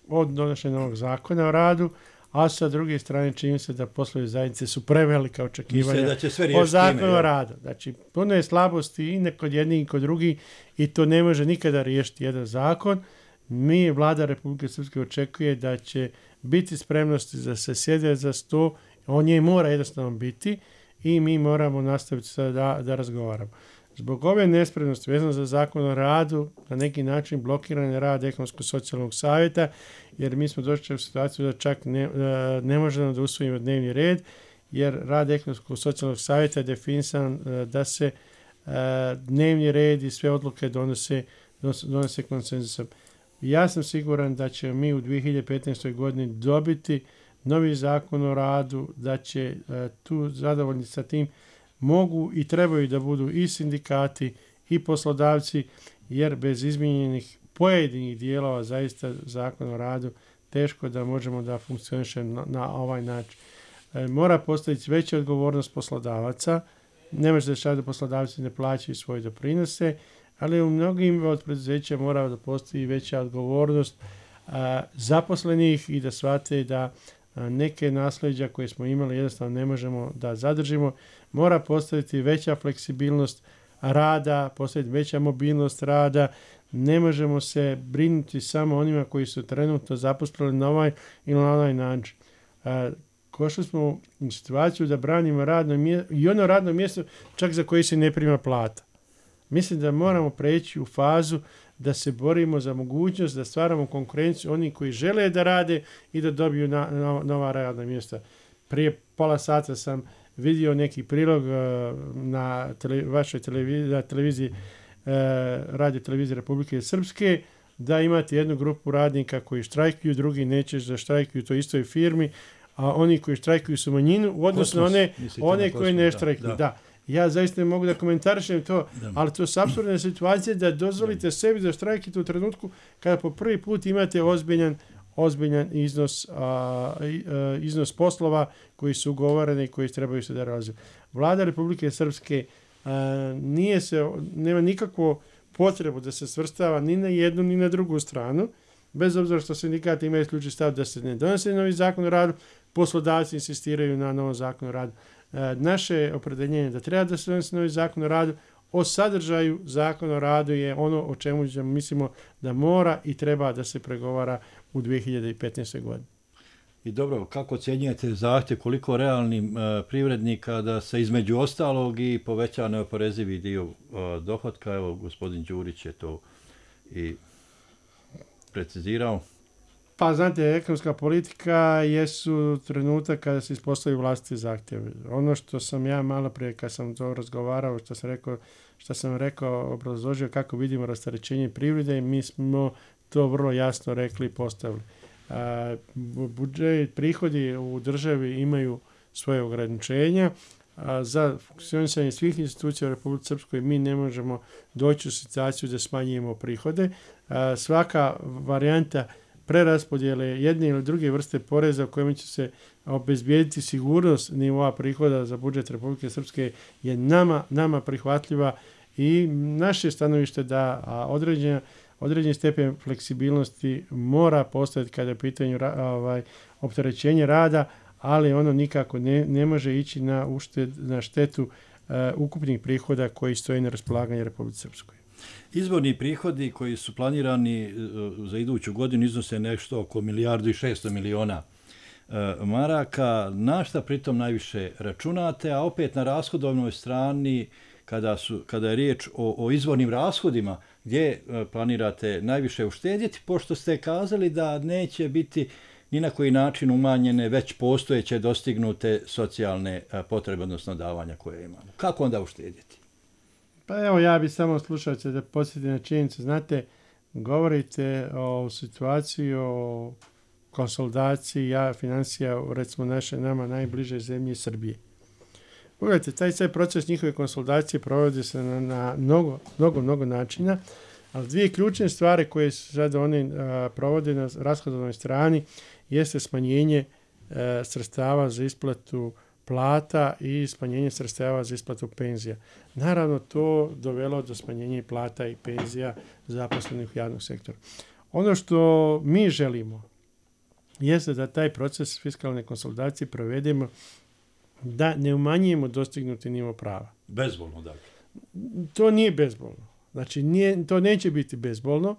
od donošenja novog zakona o radu, a sa druge strane čini se da poslovne zajednice su prevelika očekivanja o zakonu o radu. Znači, puno je slabosti i kod jednih i kod drugih i to ne može nikada riješiti jedan zakon. Mi, vlada Republike Srpske, očekuje da će biti spremnosti da se sjede za sto, on je mora jednostavno biti i mi moramo nastaviti da, da razgovaramo. Zbog ove nespremnosti vezano za zakon o radu, na neki način blokiran je rad Ekonomsko-socijalnog savjeta, jer mi smo došli u situaciju da čak ne, ne možemo da usvojimo dnevni red, jer rad Ekonomsko-socijalnog savjeta je definisan da se dnevni red i sve odluke donose, donose konsenzusom. Ja sam siguran da će mi u dvije hiljade petnaestoj godini dobiti novi zakon o radu, da će tu zadovoljni sa tim mogu i trebaju da budu i sindikati i poslodavci, jer bez izmijenjenih pojedinih dijelova zaista zakon o radu teško da možemo da funkcioniše na, na ovaj način. E, mora postaviti veća odgovornost poslodavaca. Ne može da šta da poslodavci ne plaćaju svoje doprinose, ali u mnogim od preduzeća mora da postoji veća odgovornost a, zaposlenih i da shvate da a, neke nasleđa koje smo imali jednostavno ne možemo da zadržimo. Mora postaviti veća fleksibilnost rada, postaviti veća mobilnost rada. Ne možemo se brinuti samo onima koji su trenutno zaposleni na ovaj ili na onaj način. Košli smo u situaciju da branimo radno mjesto i ono radno mjesto čak za koje se ne prima plata. Mislim da moramo preći u fazu da se borimo za mogućnost da stvaramo konkurenciju onih koji žele da rade i da dobiju na, na, nova radna mjesta. Prije pola sata sam vidio neki prilog uh, na tele, vašoj televiziji, na televiziji uh, radio televizije Republike Srpske, da imate jednu grupu radnika koji štrajkuju, drugi neće da štrajkuju u toj istoj firmi, a oni koji štrajkuju su manjinu u odnosu na one, one koji ne štrajkuju. Da, da. Ja zaista ne mogu da komentarišem to, da. Ali to su apsurdne situacije da dozvolite da. sebi da štrajkite u trenutku kada po prvi put imate ozbiljan ozbiljan iznos, a, a, iznos poslova koji su ugovoreni i koji trebaju se da realizuju. Vlada Republike Srpske a, nije se, nema nikakvu potrebu da se svrstava ni na jednu ni na drugu stranu, bez obzira što sindikati imaju isključiv stav da se ne donese novi zakon o radu, poslodavci insistiraju na novom zakonu o radu. A, naše opredeljenje da treba da se donese novi zakon o radu, o sadržaju zakona o radu je ono o čemu mislimo da mora i treba da se pregovara u dvije hiljade petnaestoj godini. I dobro, kako ocjenjujete zahtjev koliko realnim uh, privrednika da se između ostalog i poveća neoporezivi dio uh, dohotka? Evo, gospodin Đurić je to i precizirao. Pa, znate, ekonomska politika jesu trenutak kada se ispostavi vlastiti zahtjev. Ono što sam ja malo prije, kad sam to razgovarao, što sam rekao, što sam rekao, obrazložio kako vidimo rasterećenje privrede, mi smo to vrlo jasno rekli i postavili. A, budžet, prihodi u državi imaju svoje ograničenja. A, za funkcionisanje svih institucija u Republici Srpskoj mi ne možemo doći u situaciju da smanjujemo prihode. A, svaka varijanta preraspodjele jedne ili druge vrste poreza u kojima će se obezbijediti sigurnost nivoa prihoda za budžet Republike Srpske je nama, nama prihvatljiva i naše stanovište da određena, određeni stepen fleksibilnosti mora postojati kada je pitanju ovaj, opterećenje rada, ali ono nikako ne, ne može ići na, ušted, na štetu uh, ukupnih prihoda koji stoje na raspolaganju Republike Srpskoj. Izvorni prihodi koji su planirani za iduću godinu iznose nešto oko milijardu i šesto miliona maraka. Na šta pritom najviše računate, a opet na rashodovnoj strani kada, su, kada je riječ o, o izvornim rashodima, gdje planirate najviše uštedjeti, pošto ste kazali da neće biti ni na koji način umanjene već postojeće dostignute socijalne potrebe, odnosno davanja koje imamo. Kako onda uštedjeti? Pa evo, ja bih samo slušao da podsjetim na činjenicu. Znate, govorite o situaciji, o konsolidaciji ja, financija, recimo naše nama najbliže zemlje Srbije. Pogledajte, taj taj proces njihove konsolidacije provodi se na, na mnogo, mnogo, mnogo načina, ali dvije ključne stvari koje se sad oni a, provode na rashodovnoj strani jeste smanjenje a, sredstava za isplatu plata i smanjenje sredstava za isplatu penzija. Naravno, to dovelo do smanjenja plata i penzija zaposlenih u javnom sektoru. Ono što mi želimo jeste da taj proces fiskalne konsolidacije provedemo da ne umanjujemo dostignuti nivo prava. Bezbolno, dakle. To nije bezbolno. Znači, nije, to neće biti bezbolno,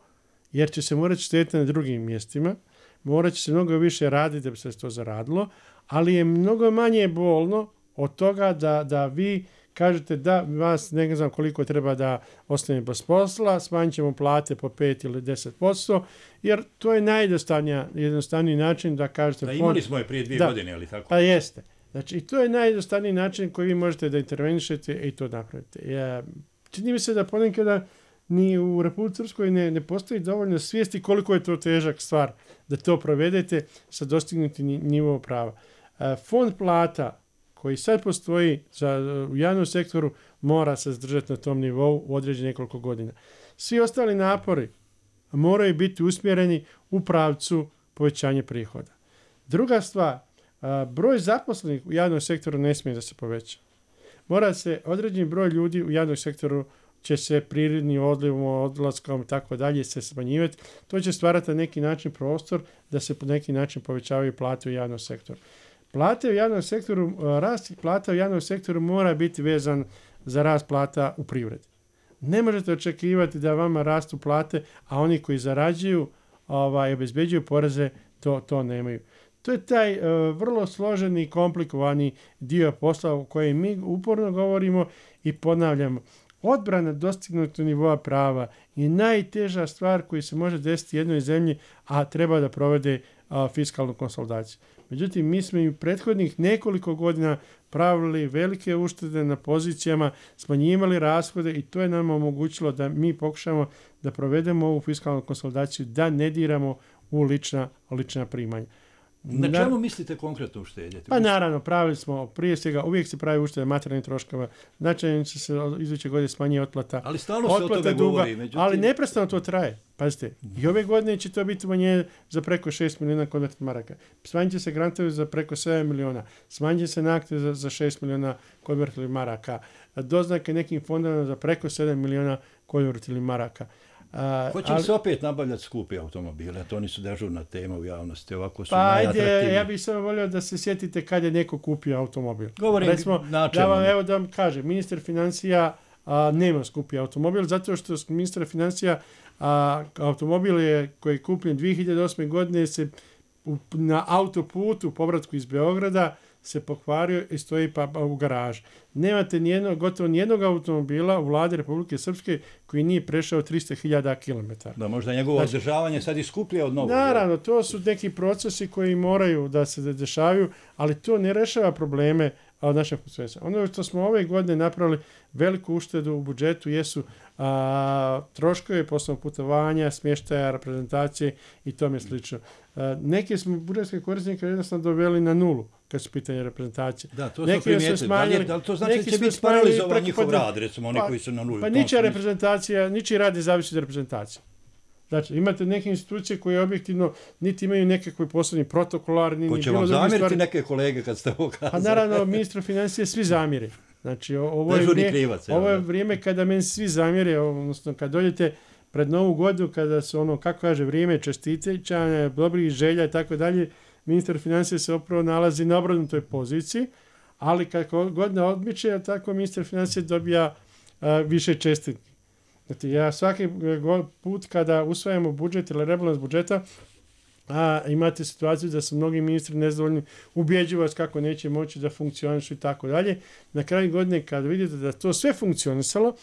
jer će se morati štediti na drugim mjestima, morat će se mnogo više raditi da bi se to zaradilo, ali je mnogo manje bolno od toga da, da vi kažete da vas ne znam koliko treba da ostane bez posla, smanjit ćemo plate po pet ili deset posto, jer to je najjednostavniji način da kažete... Da, imali smo je prije dvije da, godine, ali tako? Pa jeste. Znači, to je najjednostavniji način koji vi možete da intervenišete i to napravite. Ja, čini mi se da ponekada ni u Republici Srpskoj ne, ne postoji dovoljno svijesti koliko je to težak stvar da to provedete sa dostignutim nivo prava. Fond plata koji sad postoji za, u javnom sektoru mora se zadržati na tom nivou u određenih nekoliko godina. Svi ostali napori moraju biti usmjereni u pravcu povećanja prihoda. Druga stvar, broj zaposlenih u javnom sektoru ne smije da se poveća. Mora se određeni broj ljudi u javnom sektoru će se prirodnim odlivom, odlaskom i tako dalje se smanjivati. To će stvarati na neki način prostor da se po neki način povećavaju plate u javnom sektoru. Plate u javnom sektoru, rast plata u javnom sektoru mora biti vezan za rast plata u privredi. Ne možete očekivati da vama rastu plate, a oni koji zarađuju, ovaj, obezbeđuju poreze, to, to nemaju. To je taj uh, vrlo složeni i komplikovani dio posla u kojem mi uporno govorimo i ponavljamo. Odbrana dostignutog nivoa prava je najteža stvar koja se može desiti jednoj zemlji, a treba da provede a, fiskalnu konsolidaciju. Međutim, mi smo i prethodnih nekoliko godina pravili velike uštede na pozicijama, smanjivali rashode i to je nam omogućilo da mi pokušamo da provedemo ovu fiskalnu konsolidaciju, da ne diramo u lična, lična primanja. Na čemu mislite konkretno uštedjeti? Pa naravno, pravili smo prije svega, uvijek se pravi uštede materijalnih troškova, značajno će se iduće godine smanjiti otplata. Ali stalno se o tome duga, govori. Međutim... Ali neprestano to traje. Pazite, i ove godine će to biti umanjenje za preko šest milijuna konvertnih maraka. Smanjit će se grantovi za preko sedam milijuna. Smanjit će se naknade za, za šest milijuna konvertnih maraka. Doznake nekim fondovima za preko sedam milijuna konvertnih maraka. Uh, Hoće li se opet nabavljati skupi automobile? To nisu dežurna tema u javnosti. Ovako su pa ajde, ja bih samo volio da se sjetite kad je neko kupio automobil. Govorim Recimo, načelno. Da vam, evo da vam kažem, ministar financija a, nema skupi automobil, zato što ministar financija a, automobil je koji je kupljen dvije hiljade osme godine se u, na autoputu u povratku iz Beograda se pokvario i stoji pa, pa u garaži. Nemate nijedno, gotovo nijednog automobila u vladi Republike Srpske koji nije prešao tristo hiljada kilometara. Da, možda njegovo znači, održavanje sad i skuplje od novog. Naravno, to su neki procesi koji moraju da se dešavaju, ali to ne rešava probleme od našeg posveća. Ono što smo ove godine napravili veliku uštedu u budžetu jesu a, troškove poslovnog putovanja, smještaja, reprezentacije i tome slično. A, neke smo budžetske korisnike jednostavno doveli na nulu kad su pitanje reprezentacije. Da, to smo primijetili. Da li, da li to znači da će biti paralizovan njihov rad, recimo oni pa, koji su na nulu? Pa ničija reprezentacija, ničiji rad ne zavisi od reprezentacije. Znači, imate neke institucije koje objektivno niti imaju nekakvi posebni protokolarni... Ko će vam zamjeriti stvari... neke kolege kad ste ovo kazali? Pa naravno, ministru financije svi zamjere. Znači, ovo je, vrijeme, krivac, ovo je vrijeme kada meni svi zamjere, odnosno kad dođete pred Novu godinu, kada su ono, kako kaže, vrijeme čestiteća, dobrih želja i tako dalje, ministar financije se opravo nalazi na obrnutoj poziciji, ali kako godina odmiče, tako ministar financije dobija a, više čestitki. Znači, ja svaki put kada usvajamo budžet ili rebalans budžeta, a imate situaciju da su mnogi ministri nezadovoljni, ubjeđuju vas kako neće moći da funkcionišu i tako dalje. Na kraju godine kad vidite da to sve funkcionisalo,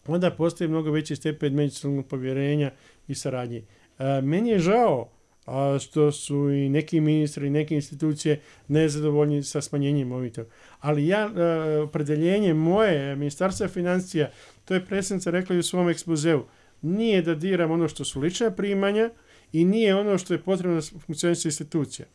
onda postoji mnogo veći stepen međusobnog povjerenja i saradnje. A, meni je žao a, što su i neki ministri i neke institucije nezadovoljni sa smanjenjem ovih toga. Ali ja, a, opredeljenje moje ministarstva financija, to je predsjednica rekla i u svom ekspozeu, nije da diram ono što su lična primanja i nije ono što je potrebno da funkcioniše institucija.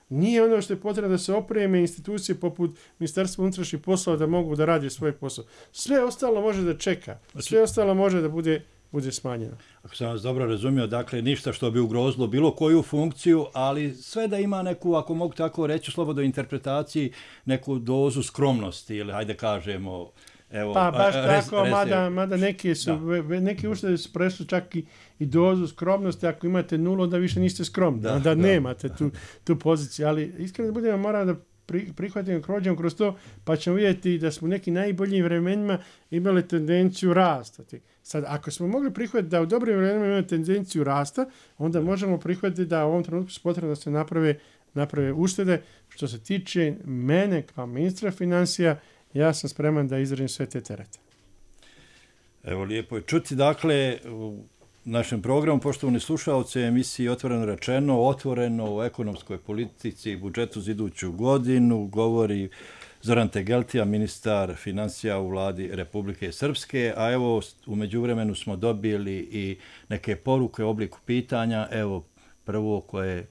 Nije ono što je potrebno da se opreme institucije poput Ministarstva unutrašnjih poslova da mogu da rade svoj posao. Sve ostalo može da čeka. Sve ostalo može da bude, bude smanjeno. Ako sam vas dobro razumio, dakle ništa što bi ugrozilo bilo koju funkciju, ali sve da ima neku, ako mogu tako reći, slobodno interpretaciji, neku dozu skromnosti ili hajde kažemo... Evo, pa baš res, tako, res, mada, mada neki su, da. neki uštede su prešli čak i, i dozu skromnosti, ako imate nulu, onda više niste skromni, da, onda da. nemate tu, tu poziciju, ali iskreno da budemo, moram da pri, prihvatimo, krođemo kroz to, pa ćemo vidjeti da smo u nekim najboljim vremenima imali tendenciju rasta. Sad, ako smo mogli prihvatiti da u dobrim vremenima imamo tendenciju rasta, onda da. možemo prihvatiti da u ovom trenutku su potrebno da se naprave, naprave uštede. Što se tiče mene kao ministra financija, ja sam spreman da izrazim sve te terete. Evo, lijepo je čuti. Dakle, u našem programu, poštovani slušalci, emisiji Otvoreno rečeno, otvoreno o ekonomskoj politici i budžetu za iduću godinu, govori Zoran Tegeltija, ministar financija u vladi Republike Srpske, a evo, u međuvremenu smo dobili i neke poruke u obliku pitanja. Evo, prvo koje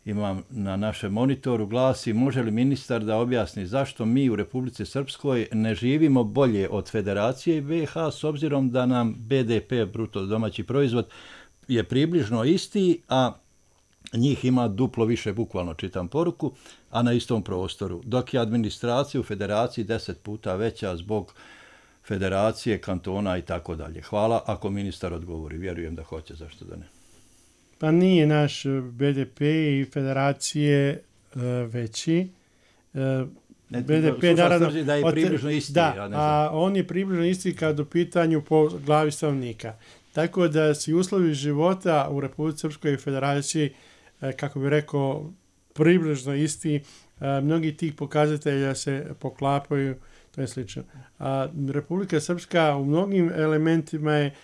imam na našem monitoru glasi: može li ministar da objasni zašto mi u Republici Srpskoj ne živimo bolje od Federacije i B H s obzirom da nam B D P, bruto domaći proizvod, je približno isti, a njih ima duplo više, bukvalno čitam poruku, a na istom prostoru, dok je administracija u Federaciji deset puta veća zbog Federacije, kantona i tako dalje. Hvala ako ministar odgovori. Vjerujem da hoće, zašto da ne. Pa nije naš B D P i Federacije uh, veći. Uh, ne, B D P naravno da je približno isti. Da, ja ne znam. A on je približno isti kad u pitanju po glavi stanovnika. Tako da su uslovi života u Republici Srpskoj i Federaciji, uh, kako bi rekao, približno isti. Uh, mnogi tih pokazatelja se poklapaju, to je slično. A Republika Srpska u mnogim elementima je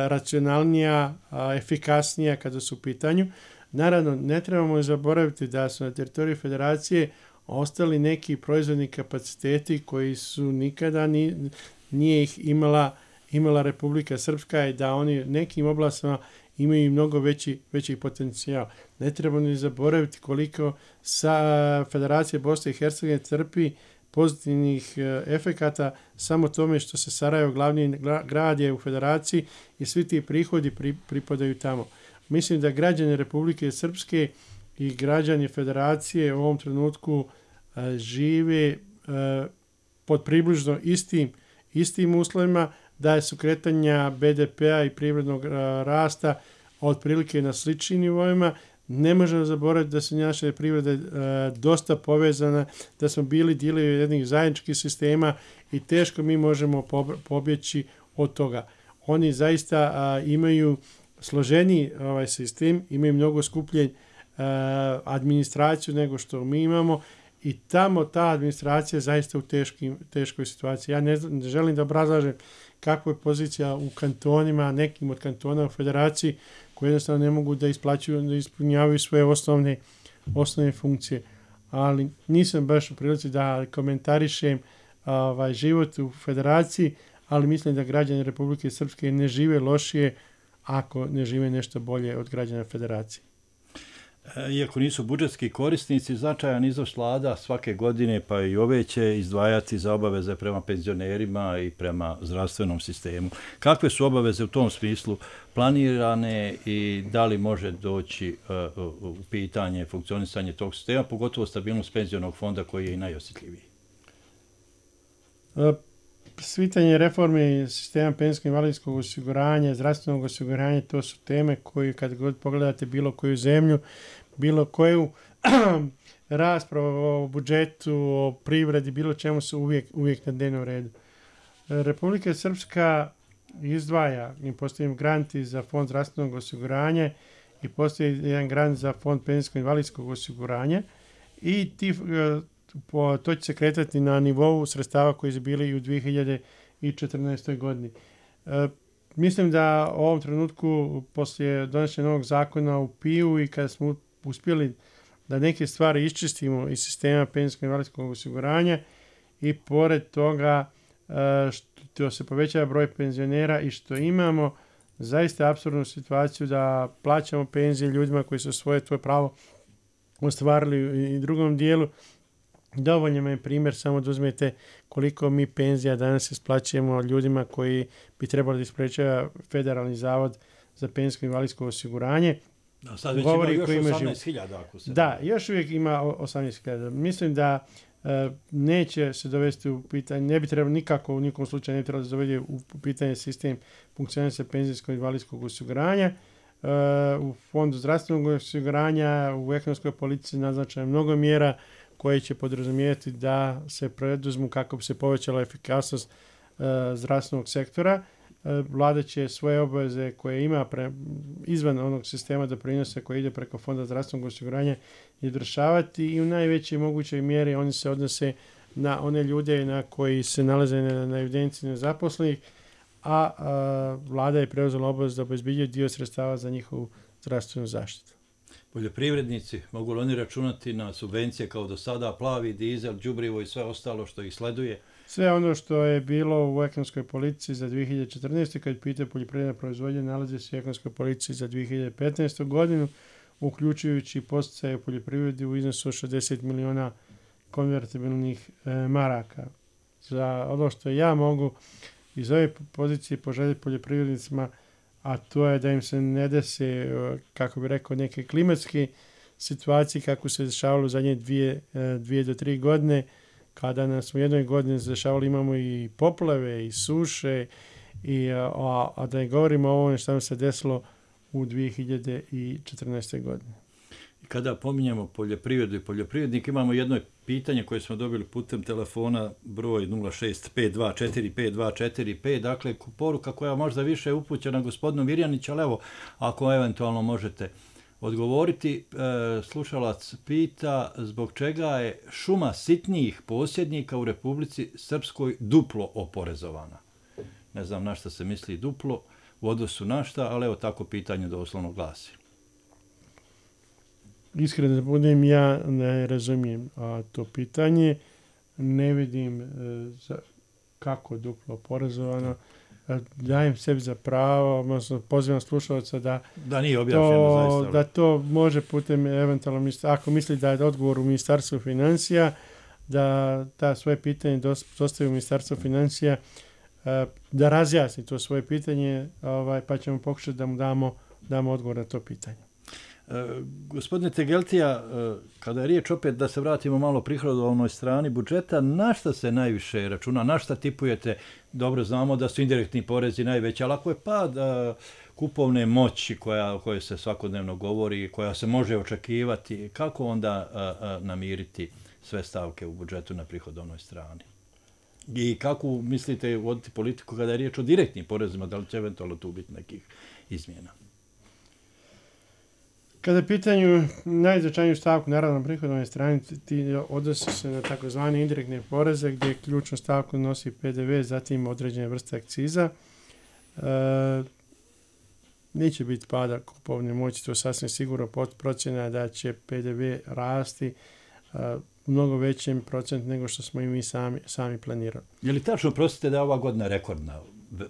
racionalnija, efikasnija kada su u pitanju. Naravno, ne trebamo zaboraviti da su na teritoriji Federacije ostali neki proizvodni kapaciteti koji su nikada ni, nije ih imala, imala Republika Srpska i da oni nekim oblastima imaju mnogo veći, veći potencijal. Ne trebamo ni zaboraviti koliko sa Federacije Bosne i Hercegovine trpi pozitivnih efekata samo tome što se Sarajevo, glavni grad je u Federaciji i svi ti prihodi pri, pripadaju tamo. Mislim da građani Republike Srpske i građani Federacije u ovom trenutku a, žive a, pod približno istim, istim uslovima, da su kretanja B D P-a i privrednog a, rasta otprilike na sličnim nivoima. Ne možemo zaboraviti da su naše privrede e, dosta povezane, da smo bili dijelovi jednih zajedničkih sistema i teško mi možemo pobjeći od toga. Oni zaista a, imaju složeniji ovaj sistem, imaju mnogo skupljen a, administraciju nego što mi imamo i tamo ta administracija je zaista u teškim, teškoj situaciji. Ja ne, ne želim da obrazlažem kakva je pozicija u kantonima, nekim od kantona u Federaciji, koji jednostavno ne mogu da isplaćuju, da ispunjavaju svoje osnovne, osnovne funkcije. Ali nisam baš u prilici da komentarišem ovaj, život u Federaciji, ali mislim da građani Republike Srpske ne žive lošije ako ne žive nešto bolje od građana Federacije. Iako nisu budžetski korisnici, značajan iznos vlada svake godine, pa i ove će izdvajati za obaveze prema penzionerima i prema zdravstvenom sistemu. Kakve su obaveze u tom smislu planirane i da li može doći u pitanje funkcionisanje tog sistema, pogotovo stabilnost penzionog fonda koji je i najosjetljiviji? Svitanje reforme sistema penzijskog invalidskog osiguranja, zdravstvenog osiguranja, to su teme koje kad god pogledate bilo koju zemlju, bilo koju raspravu o budžetu, o privredi, bilo čemu su uvijek, uvijek na dnevnom redu. Republika Srpska izdvaja i postoji granti za fond zdravstvenog osiguranja i postoji jedan grant za fond penzijskog invalidskog osiguranja i ti Po, to će se kretati na nivou sredstava koji su bili i u dvije hiljade četrnaestoj godini. E, mislim da u ovom trenutku, poslije donošenja novog zakona u P I U i kada smo uspjeli da neke stvari iščistimo iz sistema penzijskog invalidskog osiguranja i pored toga e, što se povećava broj penzionera i što imamo zaista apsurdnu situaciju da plaćamo penzije ljudima koji su svoje tvoje pravo ostvarili i drugom dijelu. Dovoljno je primjer, samo da uzmete koliko mi penzija danas isplaćujemo ljudima koji bi trebali da isplaćava Federalni zavod za penzijsko invalidsko osiguranje. Da, sad već govori ima još osamnaest hiljada. Ako se da, još uvijek ima osamnaest hiljada. Mislim da e, neće se dovesti u pitanje, ne bi trebalo nikako u nikom slučaju ne bi trebalo da dovede u pitanje sistem funkcioniranja penzijskog invalidskog osiguranja. E, u fondu zdravstvenog osiguranja, u ekonomskoj politici naznačeno mnogo mjera koje će podrazumijevati da se preduzmu kako bi se povećala efikasnost e, zdravstvenog sektora. E, Vlada će svoje obaveze koje ima pre, izvan onog sistema doprinosa koji ide preko Fonda zdravstvenog osiguranja izvršavati i u najvećoj mogućoj mjeri oni se odnose na one ljude na koji se nalaze na, na evidenciji nezaposlenih, a, a Vlada je preuzela obavezu da obezbeđuje dio sredstava za njihovu zdravstvenu zaštitu. Poljoprivrednici, mogu li oni računati na subvencije kao do sada, plavi, dizel, đubrivo i sve ostalo što ih sleduje? Sve ono što je bilo u ekonomskoj politici za dvije hiljade četrnaeste. kad pita poljoprivredna proizvodnja, nalazi se u ekonomskoj politici za dvije hiljade petnaestu. godinu, uključujući posticaje u poljoprivredi u iznosu od šezdeset miliona konvertibilnih e, maraka. Za ono što ja mogu iz ove pozicije poželjeti poljoprivrednicima, a to je da im se ne dese, kako bi rekao, neke klimatske situacije kako se dešavalo u zadnje dvije, dvije do tri godine, kada nas u jednoj godini se dešavalo, imamo i poplave i suše, i, a, a da ne govorimo o ovome što nam se desilo u dvije hiljade četrnaestoj. godini. Kada pominjamo poljoprivredu i poljoprivrednik, imamo jedno pitanje koje smo dobili putem telefona broj nula šest pet dva četiri pet dva četiri pet, dakle poruka koja možda više je upućena gospodinu Mirjaniću, ali evo, ako eventualno možete odgovoriti, e, slušalac pita zbog čega je šuma sitnijih posjednika u Republici Srpskoj duplo oporezovana. Ne znam na šta se misli duplo u odnosu na šta, ali evo tako pitanje doslovno glasi. Iskreno da budem, ja ne razumijem a, to pitanje, ne vidim e, za, kako duplo oporezovano. E, dajem sebi za pravo, odnosno pozivam slušalca da, da, nije objašnjeno, to, zaista, da to može putem eventualno, ako misli da je odgovor u Ministarstvu financija, da ta svoje pitanje dostavi u Ministarstvu financija, e, da razjasni to svoje pitanje, ovaj, pa ćemo pokušati da mu damo, damo odgovor na to pitanje. E, gospodine Tegeltija, e, kada je riječ opet da se vratimo malo prihodovnoj strani budžeta, na šta se najviše računa, na šta tipujete? Dobro znamo da su indirektni porezi najveći, ali ako je pad e, kupovne moći koja, o kojoj se svakodnevno govori, koja se može očekivati, kako onda e, e, namiriti sve stavke u budžetu na prihodovnoj strani? I kako mislite voditi politiku kada je riječ o direktnim porezima, da li će eventualno tu biti nekih izmjena? Kada je pitanju najznačajniju stavku, naravno na prihodovnoj strani, ti odnosi se na takozvane indirektne poreze, gdje ključnu stavku nosi P D V, zatim određene vrste akciza. E, neće biti pada kupovne moći, to sasvim sigurno procjena da će P D V rasti a, u mnogo većem procentu nego što smo i mi sami, sami planirali. Je li tačno, prostite, da je ova godina rekordna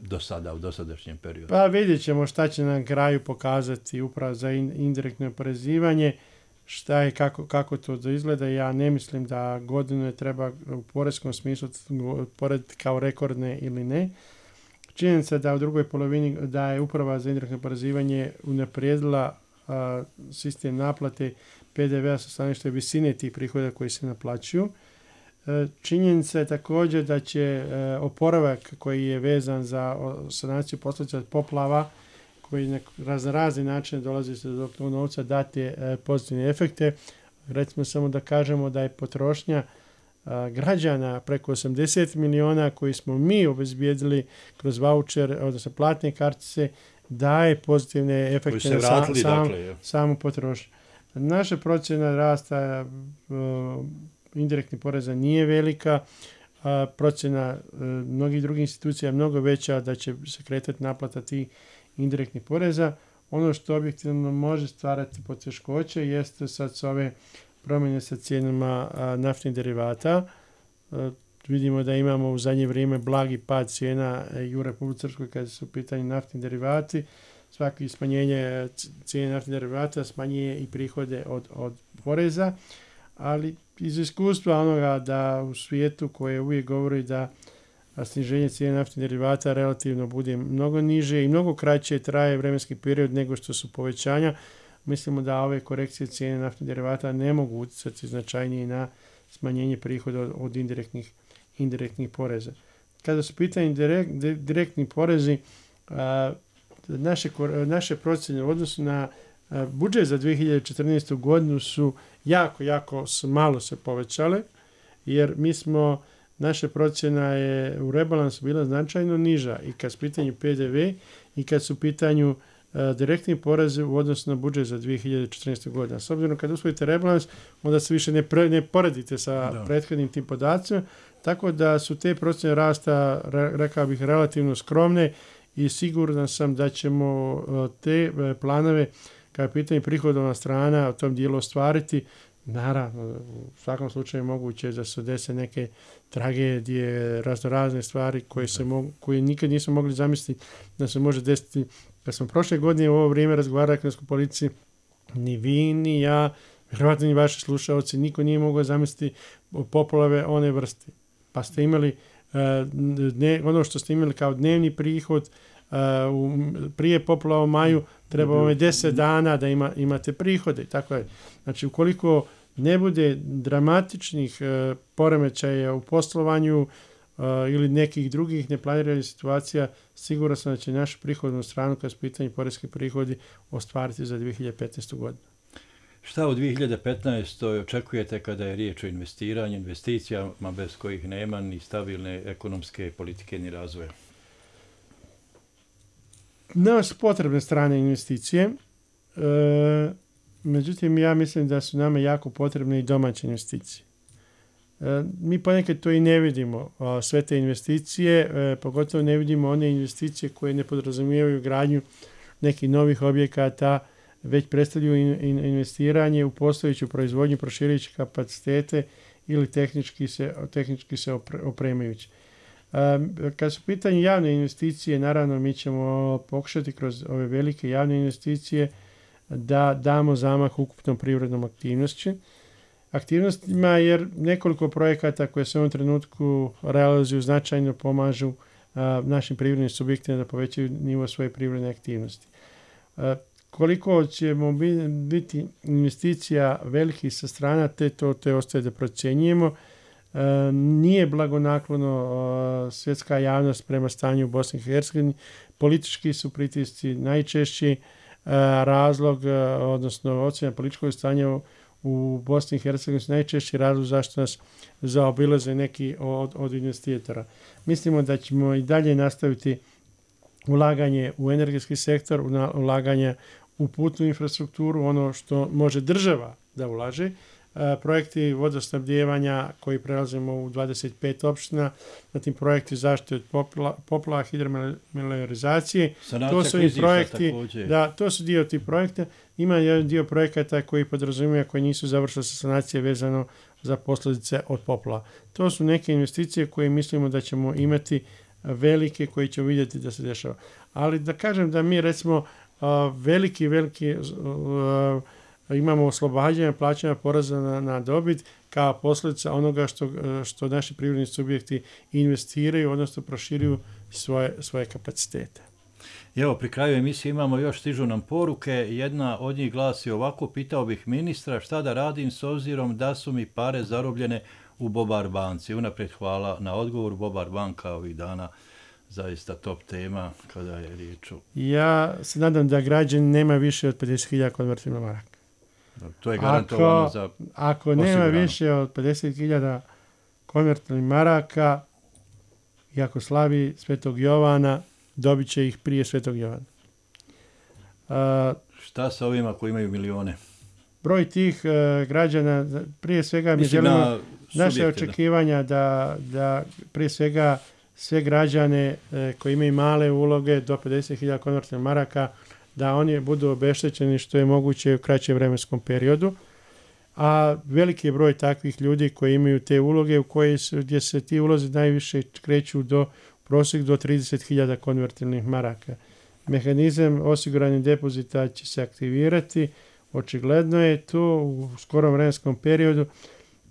do sada, u dosadašnjem periodu? Pa vidjet ćemo šta će na kraju pokazati upravo za indirektno oporezivanje. šta je, kako, kako to da izgleda. Ja ne mislim da godine treba u poreskom smislu porediti kao rekordne ili ne. Činjenica da u drugoj polovini da je Uprava za indirektno oporezivanje unaprijedila a, sistem naplate P D V-a sa stanovišta visine tih prihoda koji se naplaćuju. E, činjenica je također da će e, oporavak koji je vezan za sanaciju posljedica od poplava, koji na razne razne načine dolazi se do tog novca, dati e, pozitivne efekte. Recimo samo da kažemo da je potrošnja a, građana preko osamdeset miliona koji smo mi obezbijedili kroz vaučer, odnosno platne kartice, daje pozitivne efekte na sam, sam, dakle, samu potrošnju. Naša procjena rasta uh, indirektnih poreza nije velika, uh, procjena uh, mnogih drugih institucija je mnogo veća da će se kretati naplata tih indirektnih poreza. Ono što objektivno može stvarati poteškoće jeste sad s ove promjene sa cijenama uh, naftnih derivata. Uh, vidimo da imamo u zadnje vrijeme blagi pad cijena i u Republici Srpskoj kada su u pitanju naftni derivati. Svaki smanjenje cijene naftnih derivata smanjuje i prihode od, od poreza, ali iz iskustva onoga da u svijetu koje uvijek govori da sniženje cijene naftnih derivata relativno bude mnogo niže i mnogo kraće traje vremenski period nego što su povećanja, mislimo da ove korekcije cijene naftnih derivata ne mogu utjecati značajnije na smanjenje prihoda od, od indirektnih, indirektnih poreza. Kada su pitanje direkt, direktni porezi, a, Naše, naše procjene u odnosu na uh, budžet za dvije hiljade četrnaestu godinu su jako, jako malo se povećale, jer mi smo, naša procjena je u rebalansu bila značajno niža i kad su pitanju P D V i kad su pitanju uh, direktni porezi u odnosu na budžet za dvije hiljade četrnaestu godinu. S obzirom kad usvojite rebalans, onda se više ne, pre, ne poredite sa da. prethodnim tim podacima, tako da su te procjene rasta, re, rekao bih, relativno skromne i siguran sam da ćemo te planove, kao je pitanje prihodovna strana, u tom dijelu ostvariti. Naravno, u svakom slučaju moguće da se dese neke tragedije, raznorazne stvari koje, se mogu, koje nikad nismo mogli zamisliti da se može desiti. Kad smo prošle godine u ovo vrijeme razgovarali o ekonomskoj politici, ni vi, ni ja, vjerovatno ni vaši slušalci, niko nije mogao zamisliti poplave one vrste. Pa ste imali Ne, ono što ste imali kao dnevni prihod uh, u, prije poplava u maju treba vam je deset dana da ima, imate prihode. Tako je. Znači, ukoliko ne bude dramatičnih uh, poremećaja u poslovanju uh, ili nekih drugih neplaniranih situacija, sigurno sam da će našu prihodnu stranu kad su pitanje poreski prihodi ostvariti za dvije hiljade petnaestu godinu. Šta u dvije hiljade petnaestoj očekujete kada je riječ o investiranju, investicijama bez kojih nema ni stabilne ekonomske politike ni razvoja? Nama su potrebne strane investicije, e, međutim ja mislim da su nama jako potrebne i domaće investicije. E, mi ponekad to i ne vidimo, a, sve te investicije, e, pogotovo ne vidimo one investicije koje ne podrazumijevaju gradnju nekih novih objekata, već predstavljaju in, in, investiranje u postojeću proizvodnju, proširujući kapacitete ili tehnički se, tehnički se opre, opremajući. Um, kad su pitanje javne investicije, naravno mi ćemo pokušati kroz ove velike javne investicije da damo zamah ukupnom privrednom aktivnosti. Aktivnostima jer nekoliko projekata koje se u ovom trenutku realizuju značajno pomažu uh, našim privrednim subjektima da povećaju nivo svoje privredne aktivnosti. Uh, Koliko ćemo biti investicija velikih sa strana, te to te ostaje da procjenjujemo. E, nije blagonaklono e, svjetska javnost prema stanju u Bosni i Hercegovini. Politički su pritisci najčešći e, razlog, e, odnosno ocjena političkog stanja u, u Bosni i Hercegovini su najčešći razlog zašto nas zaobilaze neki od, od investitora. Mislimo da ćemo i dalje nastaviti ulaganje u energetski sektor, ulaganje u putnu infrastrukturu, ono što može država da ulaže, e, projekti vodosnabdijevanja koji prelazimo u dvadeset pet opština, zatim projekti zaštite od popla, poplava, hidromelioracije. To su i projekti, da, to su dio tih projekta. Ima jedan dio projekata koji podrazumijeva koji nisu završili sa sanacije vezano za posljedice od poplava. To su neke investicije koje mislimo da ćemo imati velike, koji će vidjeti da se dešava. Ali da kažem da mi recimo Uh, veliki, veliki uh, uh, imamo oslobađanje plaćanja poreza na, na dobit kao posljedica onoga što, što naši privredni subjekti investiraju, odnosno proširuju svoje, svoje kapacitete. I evo, pri kraju emisije imamo još, stižu nam poruke. Jedna od njih glasi ovako: pitao bih ministra šta da radim s obzirom da su mi pare zarobljene u Bobar banci. Unaprijed hvala na odgovor. Bobar banka ovih dana zaista top tema kada je riječ o... Ja se nadam da građani nema više od pedeset hiljada konvertibilnih maraka. To je garantovano ako, za Ako nema više od pedeset hiljada konvertibilnih maraka i ako slavi Svetog Jovana, dobit će ih prije Svetog Jovana. Uh, Šta sa ovima koji imaju milione? Broj tih uh, građana, prije svega mi želimo na naše očekivanja da, da prije svega sve građane uh, koji imaju male uloge do pedeset hiljada konvertibilnih maraka, da oni budu obeštećeni što je moguće u kraćem vremenskom periodu. A veliki je broj takvih ljudi koji imaju te uloge u koje su, gdje se ti ulozi najviše kreću do prosjek do trideset hiljada konvertibilnih maraka. Mehanizam osiguranja depozita će se aktivirati, očigledno je to u skorom vremenskom periodu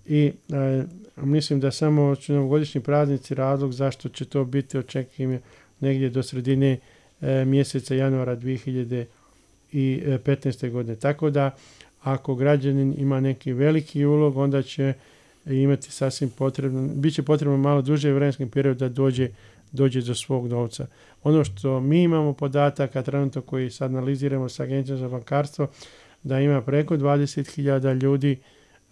i e, mislim da samo su novogodišnji praznici razlog zašto će to biti očekivano negdje do sredine e, mjeseca januara dvije hiljade petnaeste. godine. Tako da ako građanin ima neki veliki ulog, onda će imati sasvim potrebno, bit će potrebno malo duže vremenski period da dođe dođe do svog novca. Ono što mi imamo podataka trenutno koji sad analiziramo sa Agencijom za bankarstvo, da ima preko dvadeset hiljada ljudi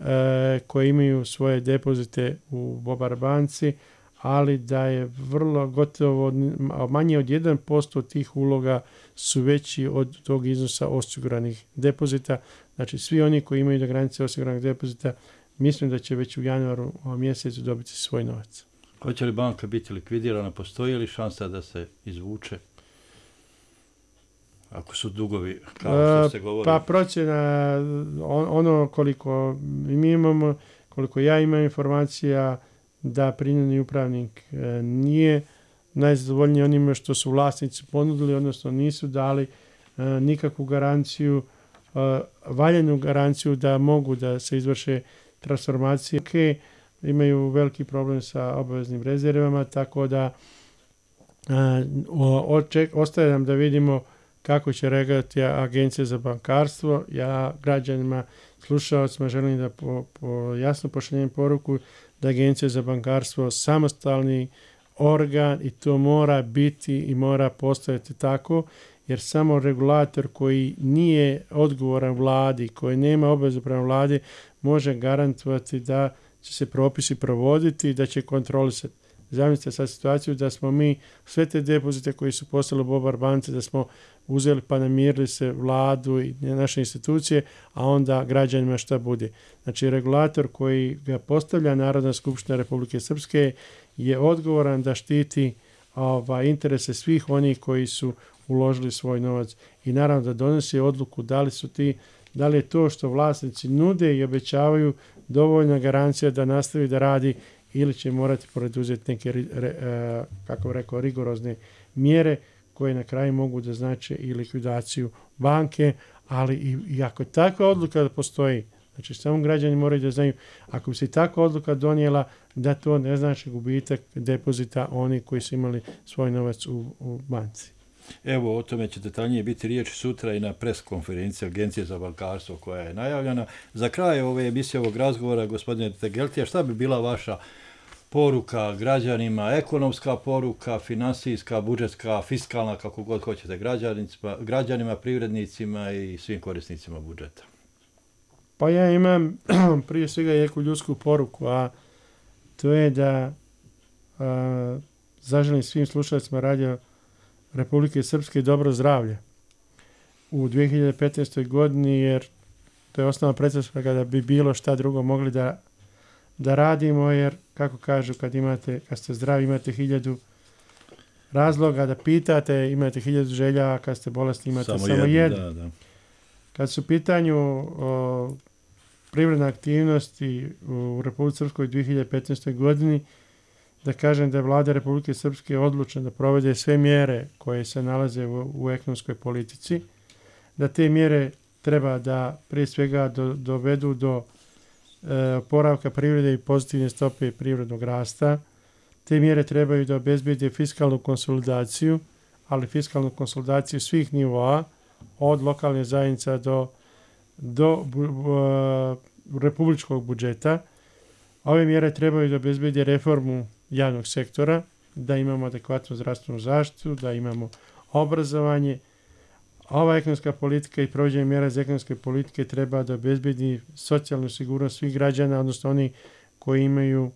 e, koji imaju svoje depozite u Bobar banci, ali da je vrlo gotovo manje od jedan posto tih uloga su veći od tog iznosa osiguranih depozita. Znači svi oni koji imaju do granice osiguranih depozita, mislim da će već u januaru mjesecu dobiti svoj novac. Hoće li banka biti likvidirana? Postoji li šansa da se izvuče? Ako su dugovi, kao što ste govorili. Pa procjena, ono koliko mi imamo, koliko ja imam informacija, da prinudni upravnik nije najzadovoljniji onime što su vlasnici ponudili, odnosno nisu dali nikakvu garanciju, valjenu garanciju da mogu da se izvrše transformacije. Okay, imaju veliki problem sa obaveznim rezervama, tako da oček, ostaje nam da vidimo kako će reagirati Agencija za bankarstvo. Ja građanima, slušalcima želim da po, po jasno pošaljem poruku da Agencija za bankarstvo samostalni organ i to mora biti i mora postojati tako, jer samo regulator koji nije odgovoran vladi, koji nema obavezu prema vladi, može garantovati da će se propisi provoditi i da će kontrolisati. Zamislite sad situaciju da smo mi sve te depozite koji su postali u Bobar banci, da smo uzeli pa namirili se vladu i naše institucije, a onda građanima šta bude. Znači regulator koji ga postavlja Narodna skupština Republike Srpske je odgovoran da štiti ova, interese svih onih koji su uložili svoj novac i naravno da donosi odluku da li su ti, da li je to što vlasnici nude i obećavaju dovoljna garancija da nastavi da radi ili će morati poduzeti neke, re, kako rekao, rigorozne mjere koje na kraju mogu da znače i likvidaciju banke, ali i, i ako takva odluka da postoji, znači samo građani moraju da znaju, ako bi se takva odluka donijela, da to ne znači gubitak depozita oni koji su imali svoj novac u, u banci. Evo, o tome će detaljnije biti riječ sutra i na pres konferenciji Agencije za bankarstvo koja je najavljena. Za kraj ove emisije ovog razgovora, gospodine Tegeltija, šta bi bila vaša poruka građanima, ekonomska poruka, finansijska, budžetska, fiskalna, kako god hoćete, građanima, građanima, privrednicima i svim korisnicima budžeta? Pa ja imam prije svega neku ljudsku poruku, a to je da a, zaželim svim slušalcima Radio Republike Srpske dobro zdravlje u dvije hiljade petnaestoj. godini, jer to je osnovna pretpostavka da bi bilo šta drugo mogli da, da radimo, jer kako kažu, kad imate, kad ste zdravi imate hiljadu razloga da pitate, imate hiljadu želja, a kad ste bolesni imate samo, samo jednu. Da, da. Kad su u pitanju o, privredne aktivnosti u Republike Srpskoj u dvije hiljade petnaestoj. godini, da kažem da je Vlada Republike Srpske odlučna da provede sve mjere koje se nalaze u, u ekonomskoj politici, da te mjere treba da prije svega do, dovedu do e, oporavka privrede i pozitivne stope privrednog rasta. Te mjere trebaju da obezbede fiskalnu konsolidaciju, ali fiskalnu konsolidaciju svih nivoa, od lokalne zajednice do, do bu, bu, republičkog budžeta. Ove mjere trebaju da obezbede reformu javnog sektora, da imamo adekvatnu zdravstvenu zaštitu, da imamo obrazovanje. Ova ekonomska politika i provođenje mjera za ekonomske politike treba da obezbedi socijalnu sigurnost svih građana, odnosno oni koji imaju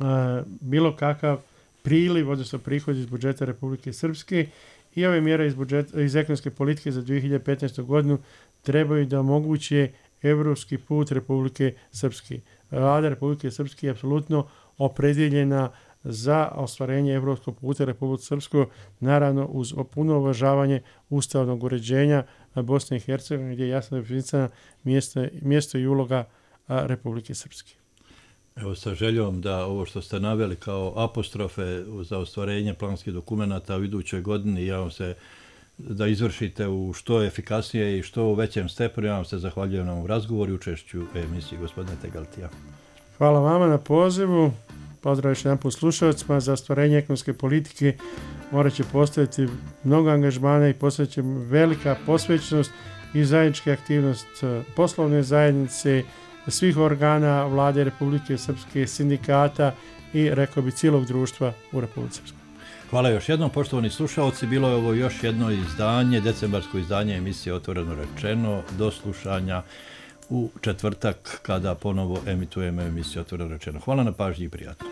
a, bilo kakav priliv, odnosno prihod iz budžeta Republike Srpske, i ove mjere iz, budžeta, iz ekonomske politike za dvije hiljade petnaestu. godinu trebaju da omoguće evropski put Republike Srpske. Vlada Republike Srpske je apsolutno opredjeljena za ostvarenje evropskog puta Republike Srpske, naravno uz puno uvažavanje ustavnog uređenja Bosne i Hercegovine, gdje je jasno definisana mjesto, mjesto i uloga Republike Srpske. Evo, sa željom da ovo što ste naveli kao apostrofe za ostvarenje planskih dokumenata u idućoj godini, ja vam se da izvršite u što efikasnije i što u većem stepenu. Ja vam se zahvaljujem na ovom razgovoru i učešću u emisiji gospodine Tegaltija. Hvala vama na pozivu. Pozdrav još jedan put slušalcima. Za ostvarenje ekonomske politike morat će postaviti mnogo angažmana i postavit će velika posvećenost i zajednička aktivnost poslovne zajednice, svih organa Vlade Republike Srpske, sindikata i, rekao bi, cijelog društva u Republici Srpskoj. Hvala još jednom, poštovani slušalci. Bilo je ovo još jedno izdanje, decembarsko izdanje emisije Otvoreno rečeno. Do slušanja u četvrtak kada ponovo emitujemo emisiju Otvoreno rečeno. Hvala na pažnji i prijatno.